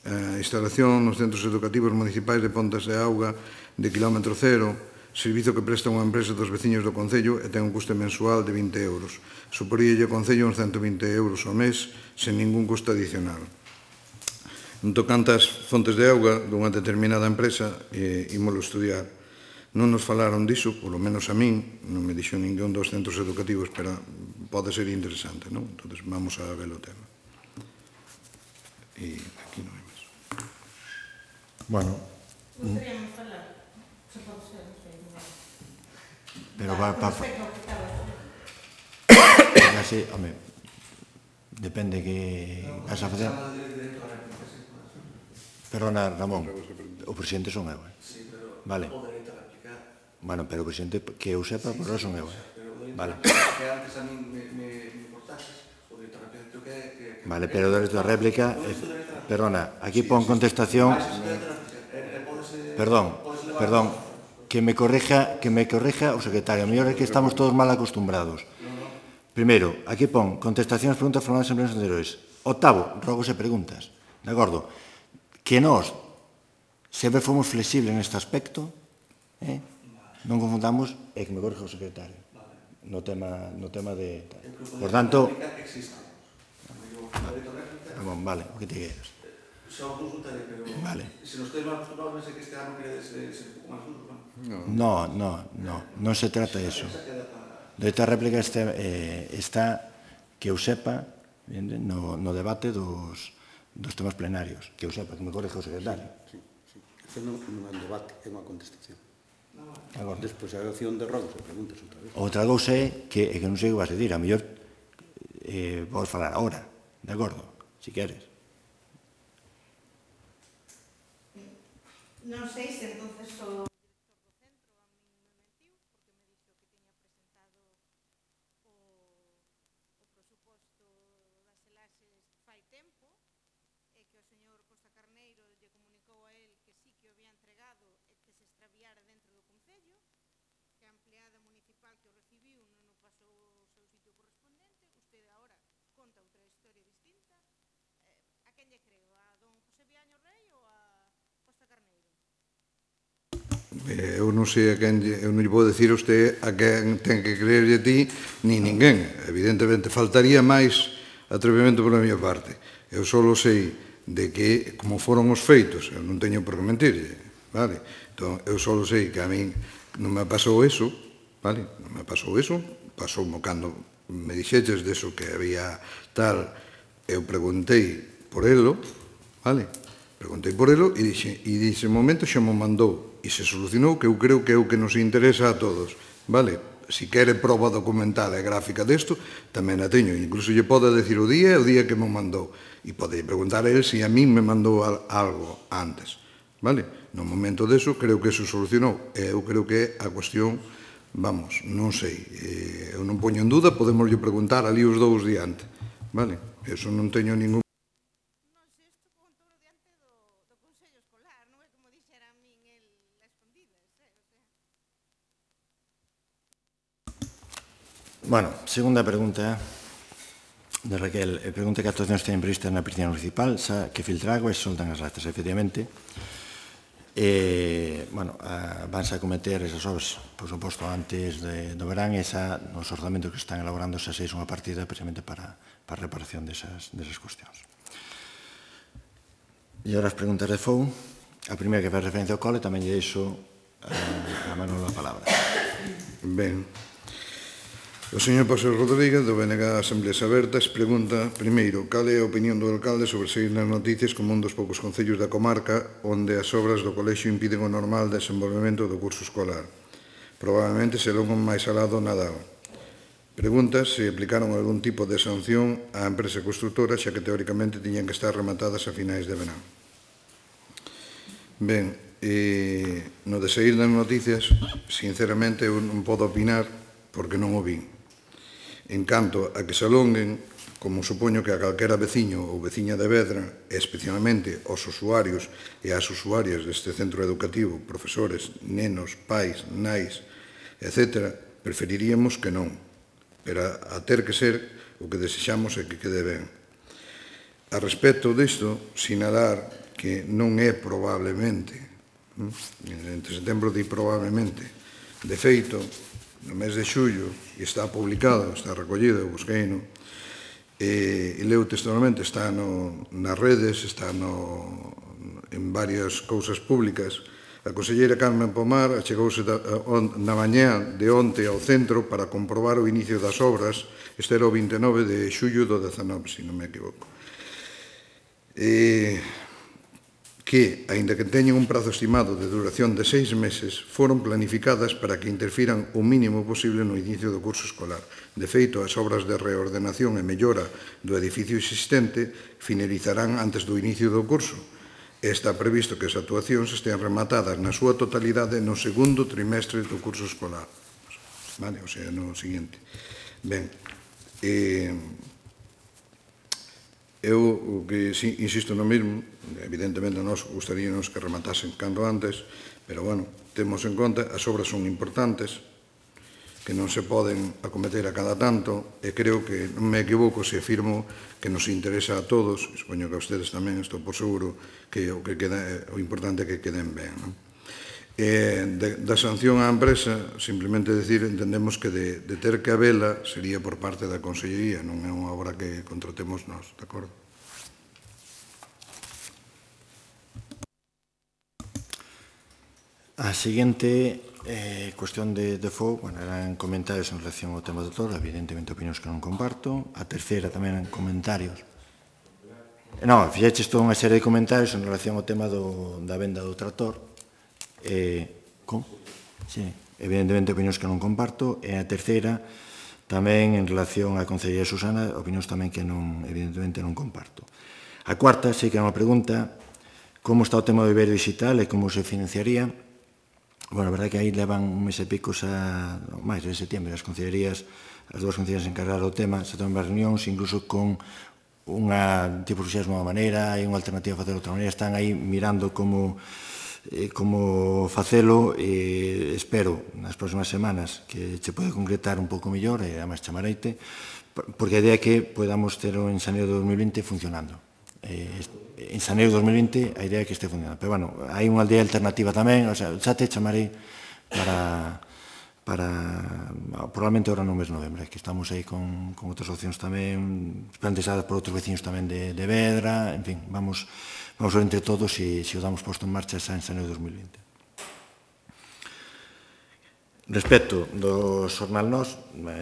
a instalación nos centros educativos municipais de pontas de auga de kilómetro cero, servizo que presta unha empresa dos veciños do Concello e ten un custe mensual de 20 euros. Suporíalle ao Concello uns 120 euros ao mes sen ningún custo adicional. En tocante ás fontes de auga dunha determinada empresa, ímolo estudiar. Non nos falaron diso, polo menos a min, non me dixo ningún dos centros educativos, pero pode ser interesante, non? Entón, vamos a ver o tema. E aquí non hai máis. Bueno. Gustaríamos falar, se pode ser, non sei. Pero va así, home, depende que vas a facer. Perdona, Ramón, o presidente son eu, vale. Bueno, pero o presidente, que eu sepa, por ahora son eu, vale. Que antes a min me importases, o director repito que... Vale, pero o dereito a réplica, perdona, aquí pon contestación, perdón, que me corrija o secretario, a mellor é que estamos todos mal acostumbrados. Primeiro, aquí pon contestación ás preguntas formuladas en plenos anteriores. Octavo, rogos e preguntas, de acordo? Que nós sempre fomos flexibles neste aspecto, non confundamos, e que me corrija o secretario, no tema de... Por tanto... Vale, o que te queres. Xa o consultaré, pero... Vale. Se nos tedes mal acostumbrados, pensei que este ano queredes ser un pouco máis duro, non se trata de eso. De esta réplica está que eu sepa no debate dos temas plenarios, que eu sepa, que me corrija o secretario. Sí. Isto non é un debate, é unha contestación. Despois a opción de rogos e preguntas outra vez. Outra cousa é que non sei o que vas a decir, a mellor vos falar agora, de acordo, si queres. Non sei se entonces o director do centro a mí me mentiu, porque me dixo que tiña presentado o presuposto das elaxes fai tempo, e que o señor Costa Carneiro lle comunicou a él que sí que o había entregado e que se extraviara dentro do Concello, que a empleada municipal que o recibiu non o pasou ao seu sitio correspondente. Usted agora conta outra historia distinta. A quen lle creo? A don José Viaño Rei ou a Costa Carneiro? Eu non sei a quen, eu non lle vou decir a usted a quen ten que creerlle a ti, ni ninguén. Evidentemente, faltaría máis atrevimento pola miña parte. Eu só sei de que, como foron os feitos, eu non teño por que mentirlle, vale? Entón, eu só sei que a min non me pasou eso, vale? Non me pasou eso, pasoumo cando me dixeches deso que había tal, eu preguntei por elo, vale? Preguntei por elo e dise momento xa me mandou e se solucionou, que eu creo que é o que nos interesa a todos, vale? si quere prova documental e gráfica desto, tamén a teño. Incluso lle pode decir o día que me mandou. E pode preguntar a él se a min me mandou algo antes. Vale? No momento deso, creo que eso solucionou. Eu creo que a cuestión, vamos, non sei. Eu non poño en duda, podemos preguntar ali os dous diante. Vale? Eso non teño ningún... Non sei, isto con todo diante do Consello Escolar, non é como dixera a min el a escondidas, o sea. Bueno, segunda pregunta de Raquel. Pregunta que actuacións teñen previstas na piscina municipal, xa que filtra agua e soltan as ratas, efectivamente. Bueno, vanse a cometer esas obras, por suposto, antes do verán, e xa nos orzamentos que están elaborando xa seis unha partida precisamente para a reparación desas cuestións. E agora as preguntas de FOU. A primeira que faz referencia ao cole, tamén lle deixo a Manolo a palabra. Ben. O señor Paseo Rodríguez, do BNG Asembleas Abertas, pregunta, primeiro, cal é a opinión do alcalde sobre seguir nas noticias como un dos poucos concellos da comarca onde as obras do colexio impiden o normal desenvolvemento do curso escolar. Probablemente se longo máis alá do Nadal. Pregunta se aplicaron algún tipo de sanción á empresa constructora, xa que teóricamente tiñan que estar rematadas a finais de verán. Ben, no de seguir nas noticias, sinceramente, eu non podo opinar porque non o vin. En canto a que se alonguen, como supoño que a calquera veciño ou veciña de Vedra, e especialmente aos usuarios e ás usuarias deste centro educativo, profesores, nenos, pais, nais, etc., preferiríamos que non. Pero a ter que ser, o que desexamos é que quede ben. A respecto disto, sinalar que non é probablemente, entre setembro di probablemente, de feito, no mes de xullo, e está publicado, está recollido, busqueino, e leu textualmente, está nas redes, está en varias cousas públicas. A conselleira Carmen Pomar achegouse na mañá de onte ao centro para comprobar o inicio das obras. Este era o 29 de xullo do 19, se non me equivoco. Que, aínda que teñen un prazo estimado de duración de 6 meses, foron planificadas para que interfiran o mínimo posible no inicio do curso escolar. De feito, as obras de reordenación e mellora do edificio existente finalizarán antes do inicio do curso. Está previsto que as actuacións estean rematadas na súa totalidade no segundo trimestre do curso escolar. Vale, o sea, no seguinte. Ben, eu o que insisto no mesmo, evidentemente nós gustaríamos que rematasen cando antes, pero, bueno, temos en conta, as obras son importantes, que non se poden acometer a cada tanto, e creo que non me equivoco se afirmo que nos interesa a todos, supoño que a ustedes tamén, estou por seguro, que o importante é que queden ben. Da sanción á empresa, simplemente decir, entendemos que de ter que habela sería por parte da Consellería, non é unha obra que contratemos nós, de acordo? A seguinte cuestión de FOU, bueno, eran comentarios en relación ao tema do doutor, evidentemente opinións que non comparto. A terceira tamén eran comentarios. Non, fixeches toda unha serie de comentarios en relación ao tema da venda do tractor. Sí, evidentemente opinións que non comparto. E a terceira tamén en relación á Concellería de Susana, opinións tamén que evidentemente non comparto. A cuarta, sei que é unha pregunta, como está o tema do Iberio Digital e como se financiaría. Bueno, a verdade é que aí levan un mes e pico xa, máis de setembro, as concellerías, as dúas concellerías encargadas do tema, se toman reunións, incluso con unha tipo de nova maneira, hai unha alternativa a facer de outra maneira, están aí mirando como facelo, e espero nas próximas semanas que se pode concretar un pouco mellor, e además chamareite, porque a idea é que podamos ter en xaneiro de 2020 funcionando. En xaneiro de 2020 a idea é que este funcionando. Pero, bueno, hai unha aldea alternativa tamén, o sea, xa te chamarei para probablemente ahora no mes de novembro, que estamos aí con outras opcións tamén, planteadas por outros veciños tamén de Vedra, en fin, vamos ver entre todos se o damos posto en marcha xa en xaneiro de 2020. Respecto do xornal Nós,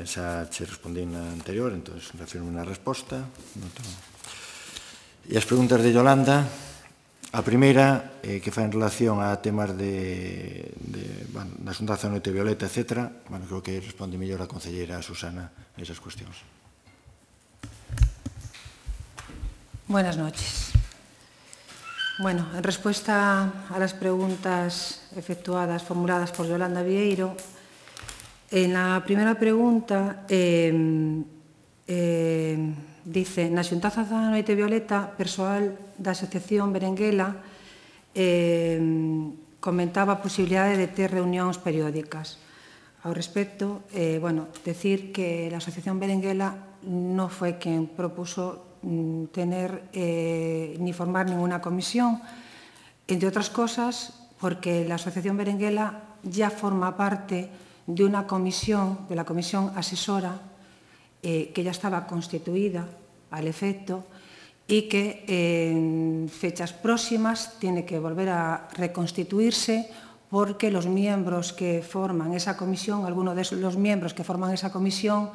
xa che respondí na anterior, entón refirmo na resposta. E as preguntas de Yolanda, A primeira, que fai en relación a temas da Xuntanza Noite Violeta, etc. Creo que responde mellor a concelleira Susana a esas cuestións. Buenas noches. Bueno, en respuesta a las preguntas formuladas por Yolanda Vieiro, en la primera pregunta dice: na Xuntanza da Noite Violeta, persoal da Asociación Berenguela comentaba a posibilidade de ter reunións periódicas. Ao respecto, decir que la Asociación Berenguela no fue quien propuso tener ni formar ninguna comisión, entre otras cosas porque la Asociación Berenguela ya forma parte de una comisión, de la comisión asesora, que ya estaba constituida al efecto y que en fechas próximas tiene que volver a reconstituirse porque los miembros que forman esa comisión, algunos de los miembros que forman esa comisión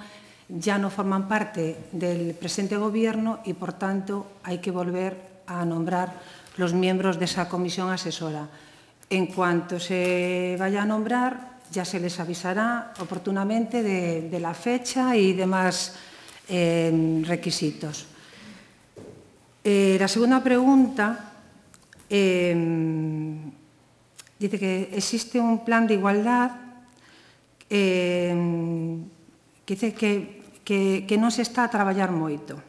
ya no forman parte del presente gobierno y, por tanto, hay que volver a nombrar los miembros de esa comisión asesora. En cuanto se vaya a nombrar, ya se les avisará oportunamente de la fecha y demás requisitos. La segunda pregunta dice que existe un plan de igualdad que dice que non se está a traballar moito.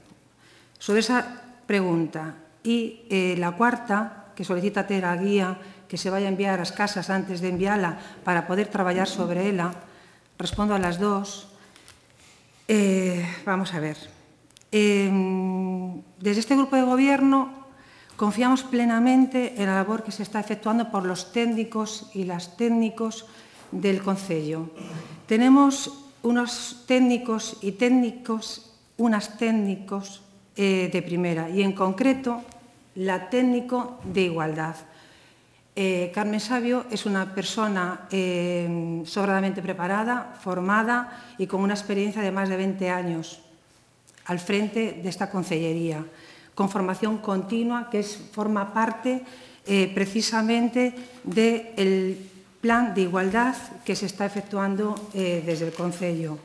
Sobre esa pregunta. E la cuarta, que solicita ter a guía que se vai a enviar ás casas antes de enviala para poder traballar sobre ela, respondo a las dos. Vamos a ver. Desde este grupo de gobierno confiamos plenamente en la labor que se está efectuando por los técnicos y las técnicos del Concello. Tenemos unos técnicos y unas técnicos de primera y, en concreto, la técnico de igualdad. Carmen Sabio es una persona sobradamente preparada, formada y con una experiencia de más de 20 años al frente de esta concellería, con formación continua que forma parte precisamente del plan de igualdad que se está efectuando desde el Concello.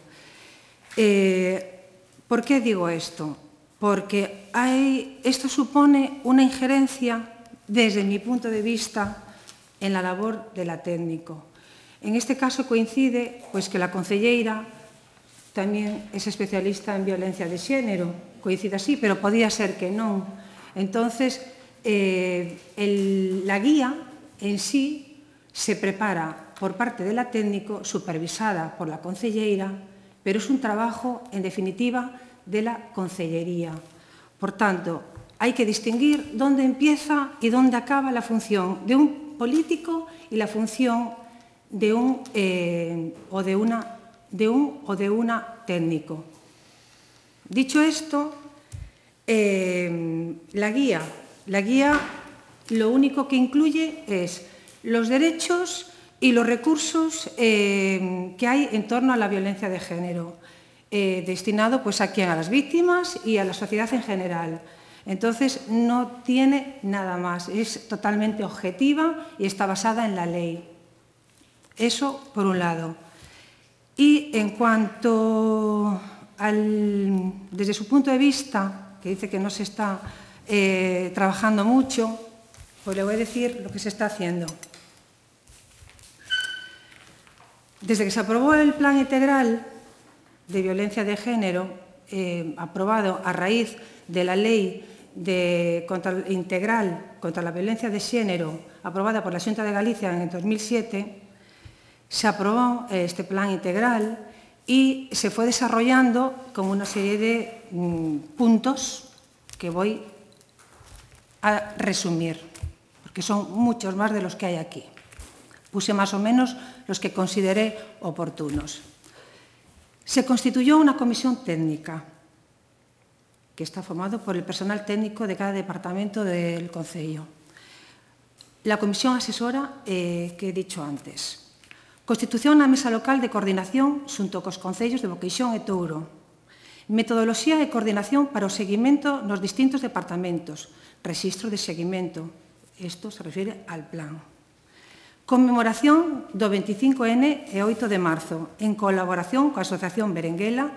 ¿Por qué digo esto? Porque esto supone una injerencia, desde mi punto de vista, en la labor de la técnico. En este caso coincide que la concelleira tamén es especialista en violencia de xénero, coincide así, pero podía ser que non. Entonces, la guía en sí se prepara por parte de la técnico, supervisada por la concelleira, pero es un trabajo, en definitiva, de la concellería. Por tanto, hay que distinguir dónde empieza y dónde acaba la función de un político y la función de un o de una técnico. Dicho esto, la guía lo único que incluye es los derechos y los recursos que hay en torno a la violencia de género, destinado a las víctimas y a la sociedad en general. Entonces, no tiene nada más, es totalmente objetiva y está basada en la ley. Eso, por un lado. Y en cuanto desde su punto de vista, que dice que no se está trabajando mucho, pues le voy a decir lo que se está haciendo. Desde que se aprobó el Plan Integral de Violencia de Género, aprobado a raíz de la Lei Integral contra la Violencia de Xénero, aprobada por la Xunta de Galicia en el 2007, se aprobó este plan integral y se fue desarrollando con una serie de puntos que voy a resumir, porque son muchos más de los que hay aquí. Puse más o menos los que consideré oportunos. Se constituyó una comisión técnica que está formado por el personal técnico de cada departamento del Concello. La comisión asesora que he dicho antes. Constitución na mesa local de coordinación xunto cos concellos de Boqueixón e Touro. Metodoloxía e coordinación para o seguimento nos distintos departamentos. Rexistro de seguimento. Isto se refire al plan. Conmemoración do 25N e 8 de marzo, en colaboración coa Asociación Berenguela,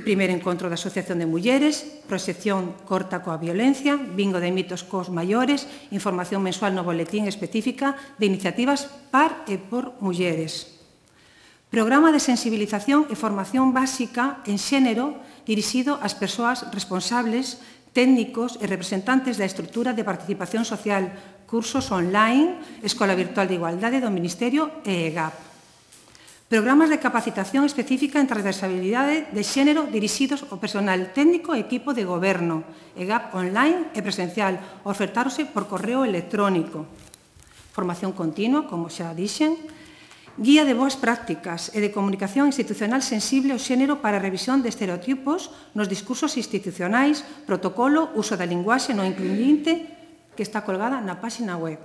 primeiro encontro da Asociación de Mulleres, proxección corta coa violencia, bingo de mitos cos maiores, información mensual no boletín específica de iniciativas par e por mulleres. Programa de sensibilización e formación básica en xénero dirixido ás persoas responsables, técnicos e representantes da estrutura de participación social, cursos online, Escola Virtual de Igualdade do Ministerio e EGAP. Programas de capacitación específica en transversalidade de xénero dirixidos ao personal técnico e equipo de goberno, EGAP online e presencial, ofertáronse por correo electrónico. Formación continua, como xa dixen, guía de boas prácticas e de comunicación institucional sensible ao xénero para a revisión de estereotipos nos discursos institucionais, protocolo, uso da linguaxe non incluyente, que está colgada na páxina web.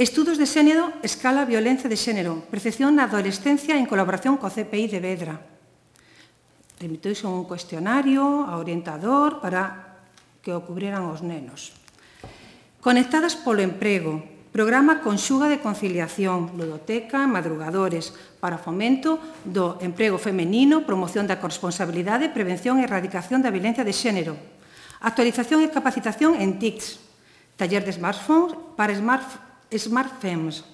Estudos de xénero, escala violencia de xénero, percepción na adolescencia en colaboración co CPI de Vedra. Remitouse un cuestionario ao orientador para que o cubrieran os nenos. Conectadas polo emprego, programa Conxuga de conciliación, ludoteca, madrugadores, para fomento do emprego femenino, promoción da corresponsabilidade, prevención e erradicación da violencia de xénero. Actualización e capacitación en TICs, taller de smartphones para SmartFems.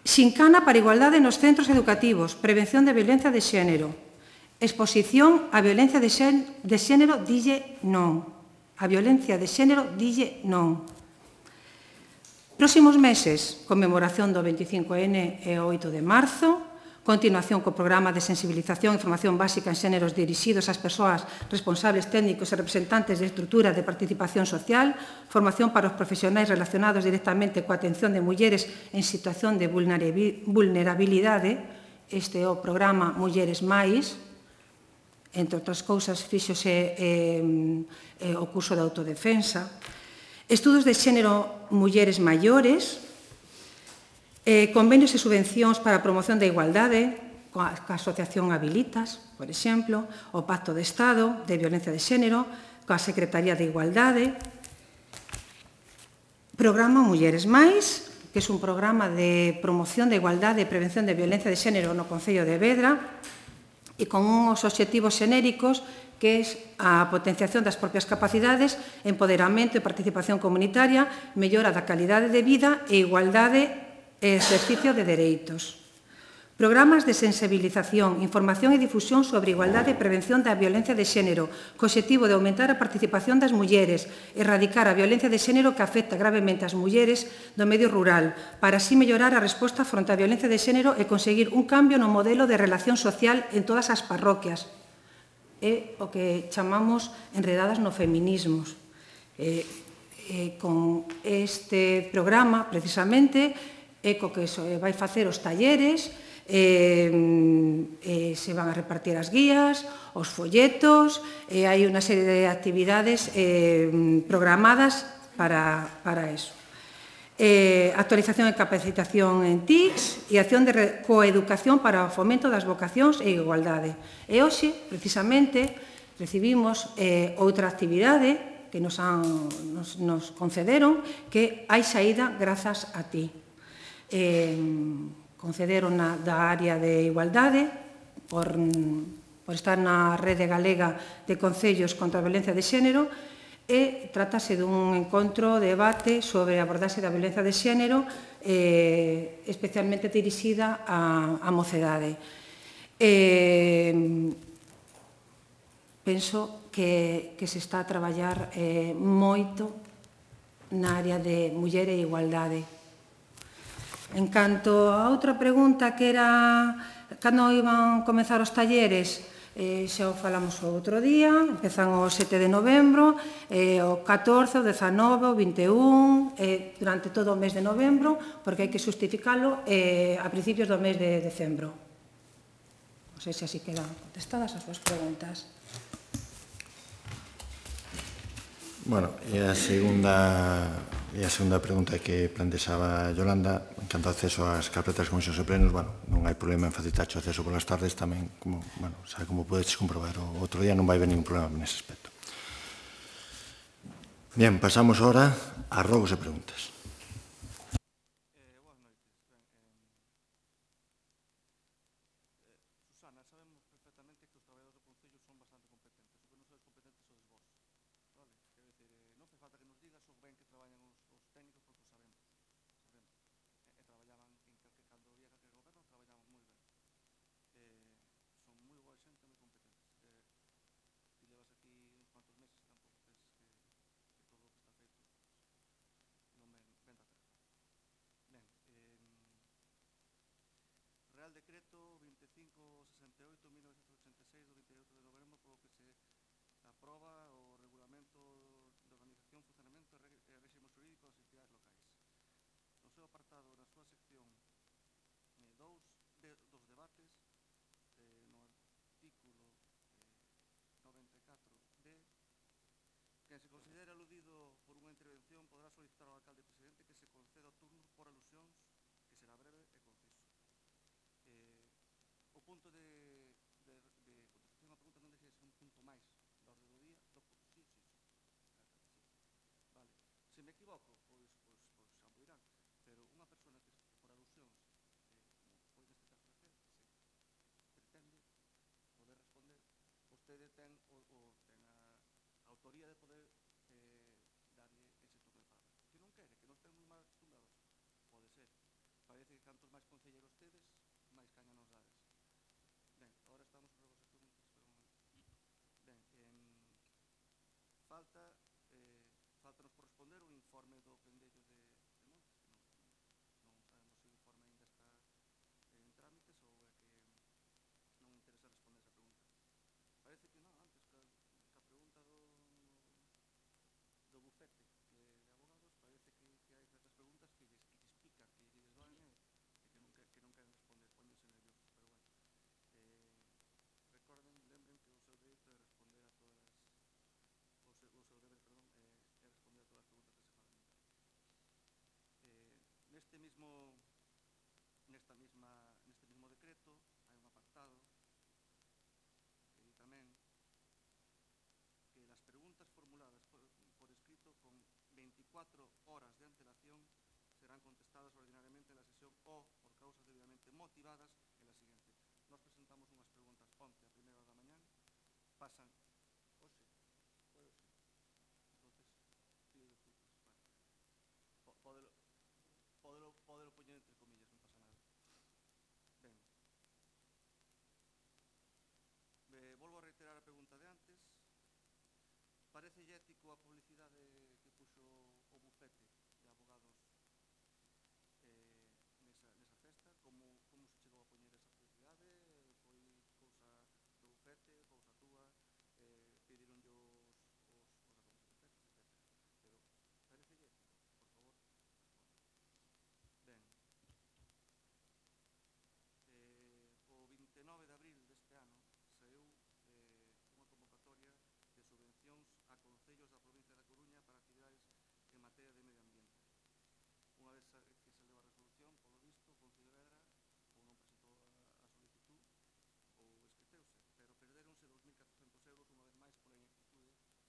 Xincana para igualdade nos centros educativos, prevención de violencia de xénero. Exposición a violencia de xénero dille non. A violencia de xénero dille non. Próximos meses, conmemoración do 25N e 8 de marzo, continuación co programa de sensibilización e formación básica en xéneros dirixidos ás persoas responsables técnicos e representantes de estruturas de participación social, formación para os profesionais relacionados directamente coa atención de mulleres en situación de vulnerabilidade, este é o programa Mulleres Mais, entre outras cousas, fíxose o curso de autodefensa, estudos de xénero mulleres maiores, convenios e subvencións para a promoción da igualdade, coa Asociación Habilitas, por exemplo, o Pacto de Estado de Violencia de Xénero, coa Secretaría de Igualdade, programa Mulleres Mais, que é un programa de promoción da igualdade e prevención de violencia de xénero no Concello de Vedra, e con uns obxectivos xenéricos que é a potenciación das propias capacidades, empoderamento e participación comunitaria, mellora da calidade de vida e igualdade e exercicio de dereitos. Programas de sensibilización, información e difusión sobre igualdade e prevención da violencia de xénero, co obxectivo de aumentar a participación das mulleres, erradicar a violencia de xénero que afecta gravemente as mulleres do medio rural, para así mellorar a resposta fronte á violencia de xénero e conseguir un cambio no modelo de relación social en todas as parroquias. É o que chamamos enredadas no feminismos. Con este programa, precisamente, é co que se vai facer os talleres, se van a repartir as guías, os folletos, hai unha serie de actividades programadas para eso. Actualización e capacitación en TICs e acción de coeducación para o fomento das vocacións e igualdade. E hoxe, precisamente, recibimos outra actividade que nos concederon, que hai saída grazas a ti. Concederon da área de igualdade por estar na rede galega de concellos contra a violencia de xénero e trátase dun encontro, debate sobre a abordaxe da violencia de xénero especialmente dirixida á mocedade. Penso que se está a traballar moito na área de muller e igualdade. En canto a outra pregunta que era cando iban comezar os talleres, xa o falamos o outro día, empezan o 7 de novembro, o 14, o 19, o 21, durante todo o mes de novembro, porque hai que justificalo a principios do mes de decembro. Non sei se así quedan contestadas as súas preguntas. Bueno, e a segunda pregunta que plantexaba Yolanda, en canto ao acceso ás carpetas de comisións e plenos, bueno, non hai problema en facilitar o acceso polas tardes tamén, como, bueno, xa como podedes comprobar, o outro día non vai haber ningún problema nese aspecto. Bien, pasamos ahora a rogos e preguntas. Boas noites. Susana, sabemos perfectamente que os traballadores do Concello son bastante competentes. O que non sois competentes sodes vos. Vale? Quero dicir, non fai falta que nos digas o ben que traballan os técnicos porque o sabemos. Sabemos. Traballaban cando había calquer goberno, traballaban moi ben. Son moi boa xente, moi competentes. Ti levas aquí uns cuantos meses e tampouco penses que todo o que está feito non ven da terra. Ben, Real Decreto 2568-1986 do 28 de novembro polo que se aproba o Regulamento de Organización, Funcionamento e Réximo Xurídico das entidades locais. No seu apartado, na súa sección 2 dos debates, no artículo 94d, quen se considere aludido por unha intervención podrá solicitar ao alcalde presidente que se conceda o turno por alusións, que será breve e conciso. O punto de contestación á pregunta non deixa de ser un punto máis da orde do día. Sí. Vale. Se me equivoco, pois xa me dirán. Pero unha persona que por alusións, como foi neste caso Raquel, se pretende poder responder, vostede ten a autoría de poder darlle ese turno de palabra. Que non quere, que nos ten moi mal acostumbrados. Pode ser. Parece que cantos máis concelleiros tedes, máis caña nos dades. Ben, agora estamos sobre vos as preguntas, pero un momento. Ben, faltanos por responder o informe do Pendello de Montes, que non sabemos se o informe ainda está en trámites ou é que non interesa responder esa pregunta. Parece que non, antes, ca pregunta do bufete de abogados, parece que hai certas preguntas que lles pican, que lles doen e que non queren responder, ponense nerviosos, pero bueno. Lembren que o seu dereito é responder a todas o seu deber, perdón, é responder a todas as preguntas que se fagan. Neste mismo decreto hai un apartado que di tamén que las preguntas formuladas por escrito con 24 horas de antelación serán contestadas ordinariamente en la sesión o por causas debidamente motivadas en la siguiente. Nos presentamos unhas preguntas 11 a primeira hora da mañán, pasan hoxe, entonces pido disculpas. Podelo poñer entre comillas, non pasa nada. Ben, volvo a reiterar a pregunta de antes. Parece ético a publicidade que puxo o bufete de abogados nesa festa? Como se chegou a poñer esa publicidade? Foi cousa do bufete, cousa túa? Pedironlle os acontecementos, etc. Pero parece ético? Por favor, responde. Ben, o 29 de abril deste ano saiu unha convocatoria de subvencións a concellos da provincia da Coruña para actividades en materia de medio ambiente. Unha vez que se leu a resolución, polo visto, o Concello de Vedra ou non presentou a solicitud ou esqueceuse, pero perderonse 2.400 euros unha vez máis pola ineptitude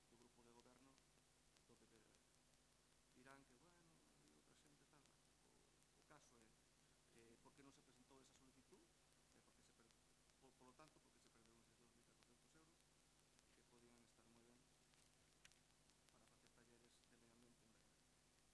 do grupo de goberno do PP de Vedra. Dirán que, bueno, hai outra xente tal. O caso é por que non se presentou esa solicitud, polo tanto, porque se perderon esos 2.400 euros que podían estar moi ben para facer talleres de medio ambiente en Vedra.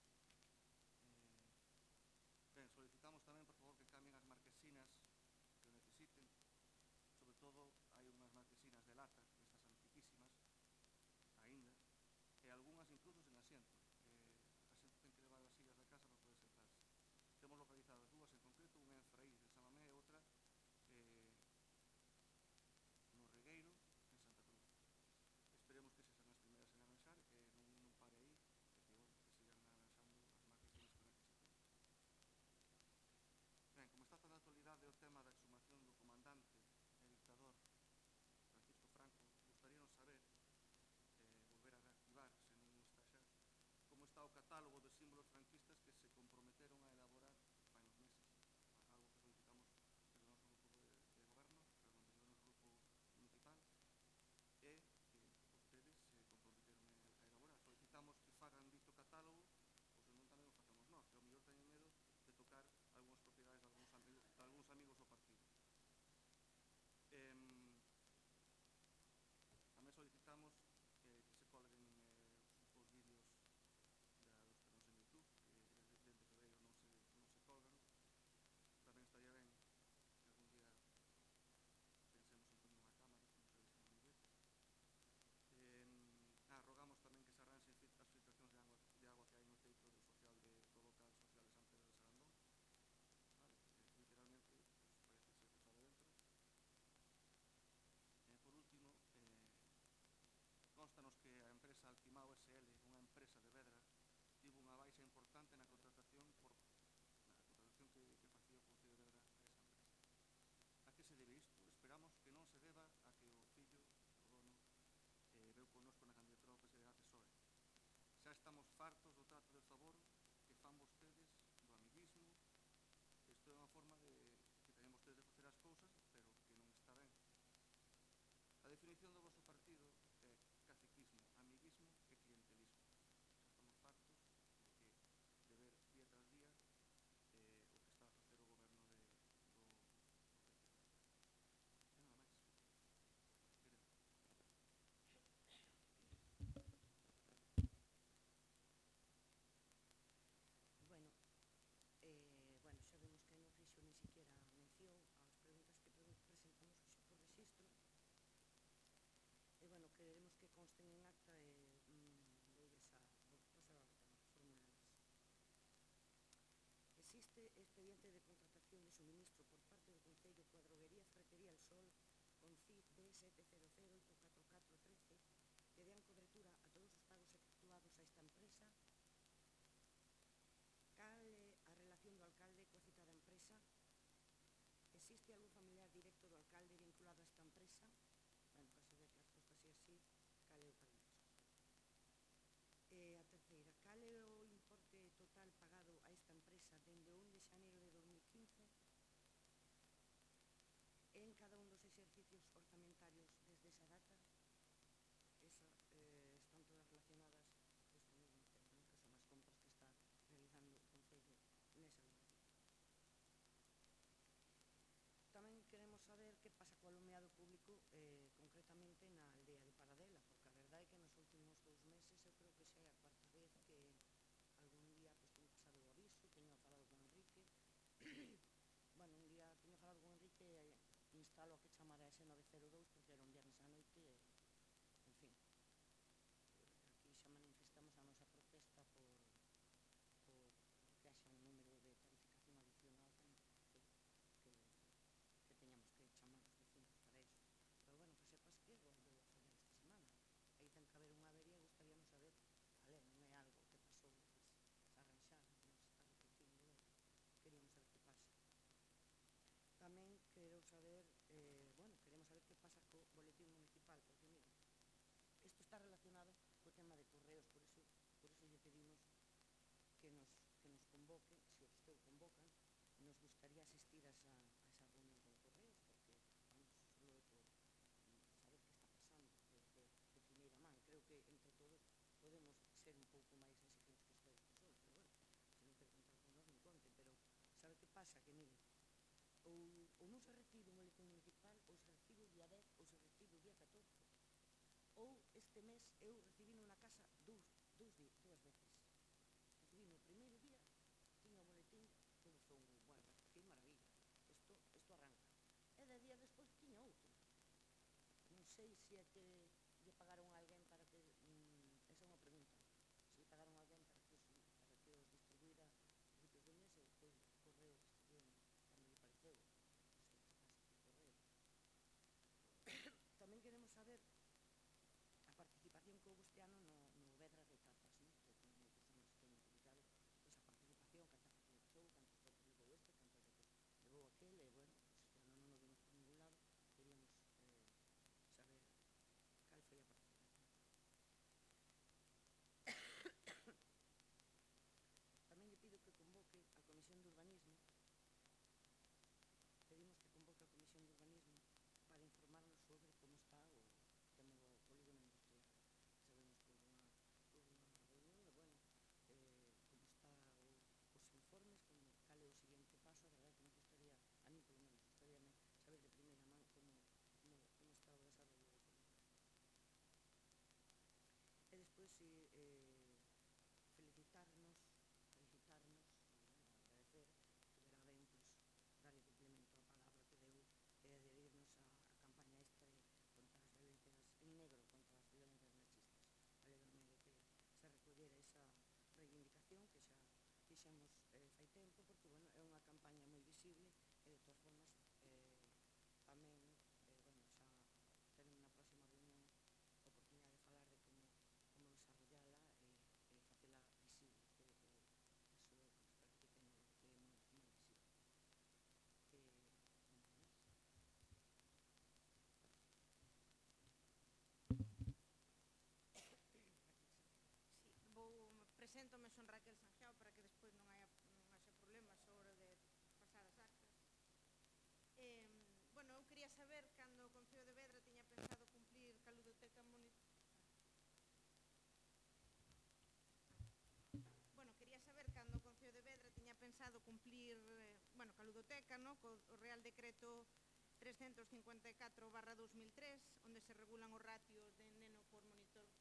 existe algún familiar directo do alcalde vinculado a esta empresa? En caso de que a resposta sea así, cal é o paradoxo? A terceira, cal é o importe total pagado a esta empresa dende o 1 de xaneiro de 2015 en cada un dos exercicios orzamentarios desde esa data? Están todas relacionadas con este mesmo tema, que son as compras que está realizando o Concello nesa línea. Tamén queremos saber que pasa co alumeado público, concretamente na aldea de Paradela, porque a verdade é que nos últimos 2 meses eu creo que xa é a cuarta vez que algún día teño pasado o aviso, teño falado con Enrique. Bueno, un día teño falado con Enrique e instalo a que chamara ese 902 porque era un viernes á noite e, en fin, aquí xa manifestamos a nosa protesta por que haxa un número de tarificación adicional que teñamos que chamar os vecinos para iso. Pero, bueno, que sepas que volveu a fallar esta semana. Aí ten que haber unha avería e gustaríamos saber, vale, non é algo que pasou, pues, a arranxar, non se está repetindo, queríamos saber que pasa. Tamén quero saber, queremos saber que pasa co boletín municipal, porque, mira, isto está relacionado co tema de correos, por iso lle pedimos que nos convoque, se o vostede convocan, nos gustaría asistir a esa reunión con correos, porque vamos solo por saber que está pasando de primeira man. Creo que entre todos podemos ser un pouco máis exigentes que ustedes que son, pero, bueno, se non quero contar con nós, non conten, pero sabe que pasa? Que, mire, ou non se recibe un boletín municipal, ou se recibe o día 10, ou se recibe o día 14. Ou este mes eu recibí na casa dúas veces. Recibí no primeiro día, tiña o boletín, todo foi un, bueno, que maravilla, isto arranca. E 10 días despois tiña outro. Non sei se é que lle pagaron a alguén para que, esa é unha pregunta, se lle pagaron a alguén para que os distribuíra a principios do mes e depois o correo distribuían cando lle pareceu. Non sei que pasa co correo. Tamén queremos saber a participación que houve este ano no Vedras de Tapas, non? Que como personas que teñen publicado esa participación, cantas veces levou, cantas veces levou este, cantas veces levou aquel, e, bueno, este ano non o vimos por ningún lado, queríamos saber cal foi a participación. Tamén lle pido que convoque a Comisión de Urbanismo, pedimos que convoque a Comisión de Urbanismo para informarnos sobre como está o tema do polígono industrial. Sabemos que houve unha reunión e, bueno, como está os informes, cal é o seguinte paso. A verdade que nos gustaría, a mí polo menos, gustaría saber de primeira man como está o desarrollo do polígono. E despois felicitarnos, agradecer que verá ben, darlle complemento á palabra que deu e adherirnos á campaña esta contra as violencias en negro, contra as violencias machistas. Alegrome de que se recollera esa reivindicación que xa fixemos fai tempo, porque, bueno, é unha campaña moi visible e, de todas formas, tamén, bueno, xa teremos na próxima reunión a oportunidade de falar de como desarrollala e facela visible, que iso é o que nos parece que é moi visible. Preséntome, son Raquel Sanjao, para que despois non haxa problemas sobre de pasar as actas. Bueno, eu quería saber cando o Concello de Vedra tiña pensado cumplir ca ludoteca municipal. Bueno, quería saber cando o Concello de Vedra tiña pensado cumplir, ca ludoteca, co Real Decreto 354/2003, onde se regulan os ratios de neno por monitor.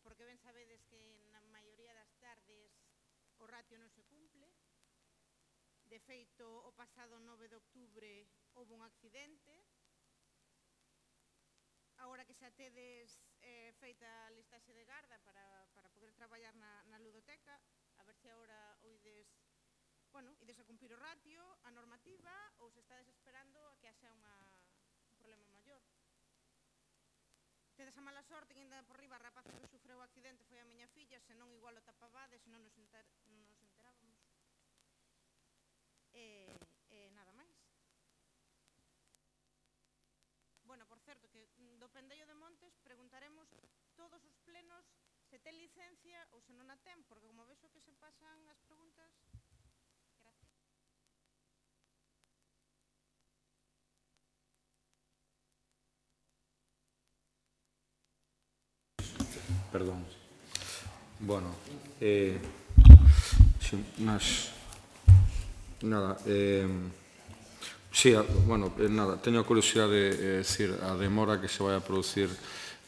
Porque ben sabedes que na maioría das tardes o ratio non se cumple. De feito, o pasado 9 de outubro houve un accidente. Agora que xa tedes feita a listaxe de garda para poder traballar na ludoteca, a ver se agora ides a cumprir o ratio, a normativa, ou se estades esperando a que haxa un problema maior. Tedes a mala sorte que ainda por riba a rapaza que sufreu o accidente foi a miña filla, senón igual o tapabades e non nos enterábamos. E nada máis. certo que do Pendello de Montes preguntaremos todos os plenos se ten licencia ou se non a ten, porque como vexo que se pasan as preguntas... Gracias. Perdón. Bueno, sin más nada, sí, bueno, nada, teño a curiosidade de decir a demora que se vai a producir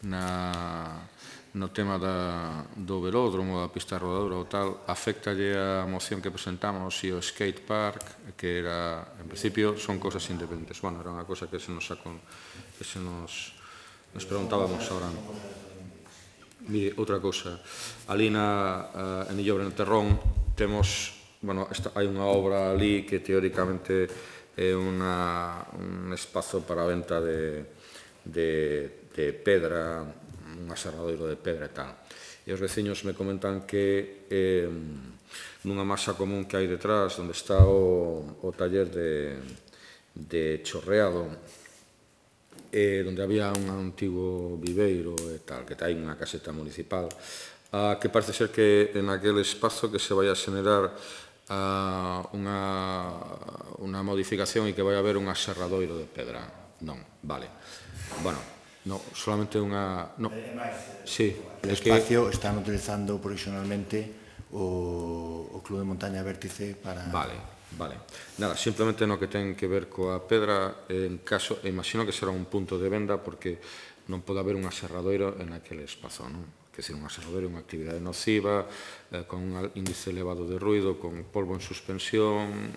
no tema do velódromo, da pista rodadora ou tal, afectalle a moción que presentamos e o skate park, que era, en principio, son cosas independentes. Bueno, era unha cosa que se nos preguntábamos ahora. Mire, outra cousa, ali en Illobre, no Terrón, temos, bueno, hai unha obra ali que teóricamente é un espazo para a venta de pedra, un aserradoiro de pedra e tal. E os veciños me comentan que nunha masa común que hai detrás, onde está o taller de chorreado, onde había un antigo viveiro e tal, que hai unha caseta municipal, que parece ser que en aquel espazo que se vai a xenerar unha modificación e que vai haber un aserradoiro de pedra. Non, vale. Bueno, no, solamente unha... Sí, el espacio están utilizando provisionalmente o Club de Montaña Vértice para... Vale. Nada, simplemente no que ten que ver coa pedra, en caso, imagino que será un punto de venda porque non pode haber un aserradoiro en aquele espazo, non? Que ser un aserradoiro é unha actividade nociva, con un índice elevado de ruido, con polvo en suspensión,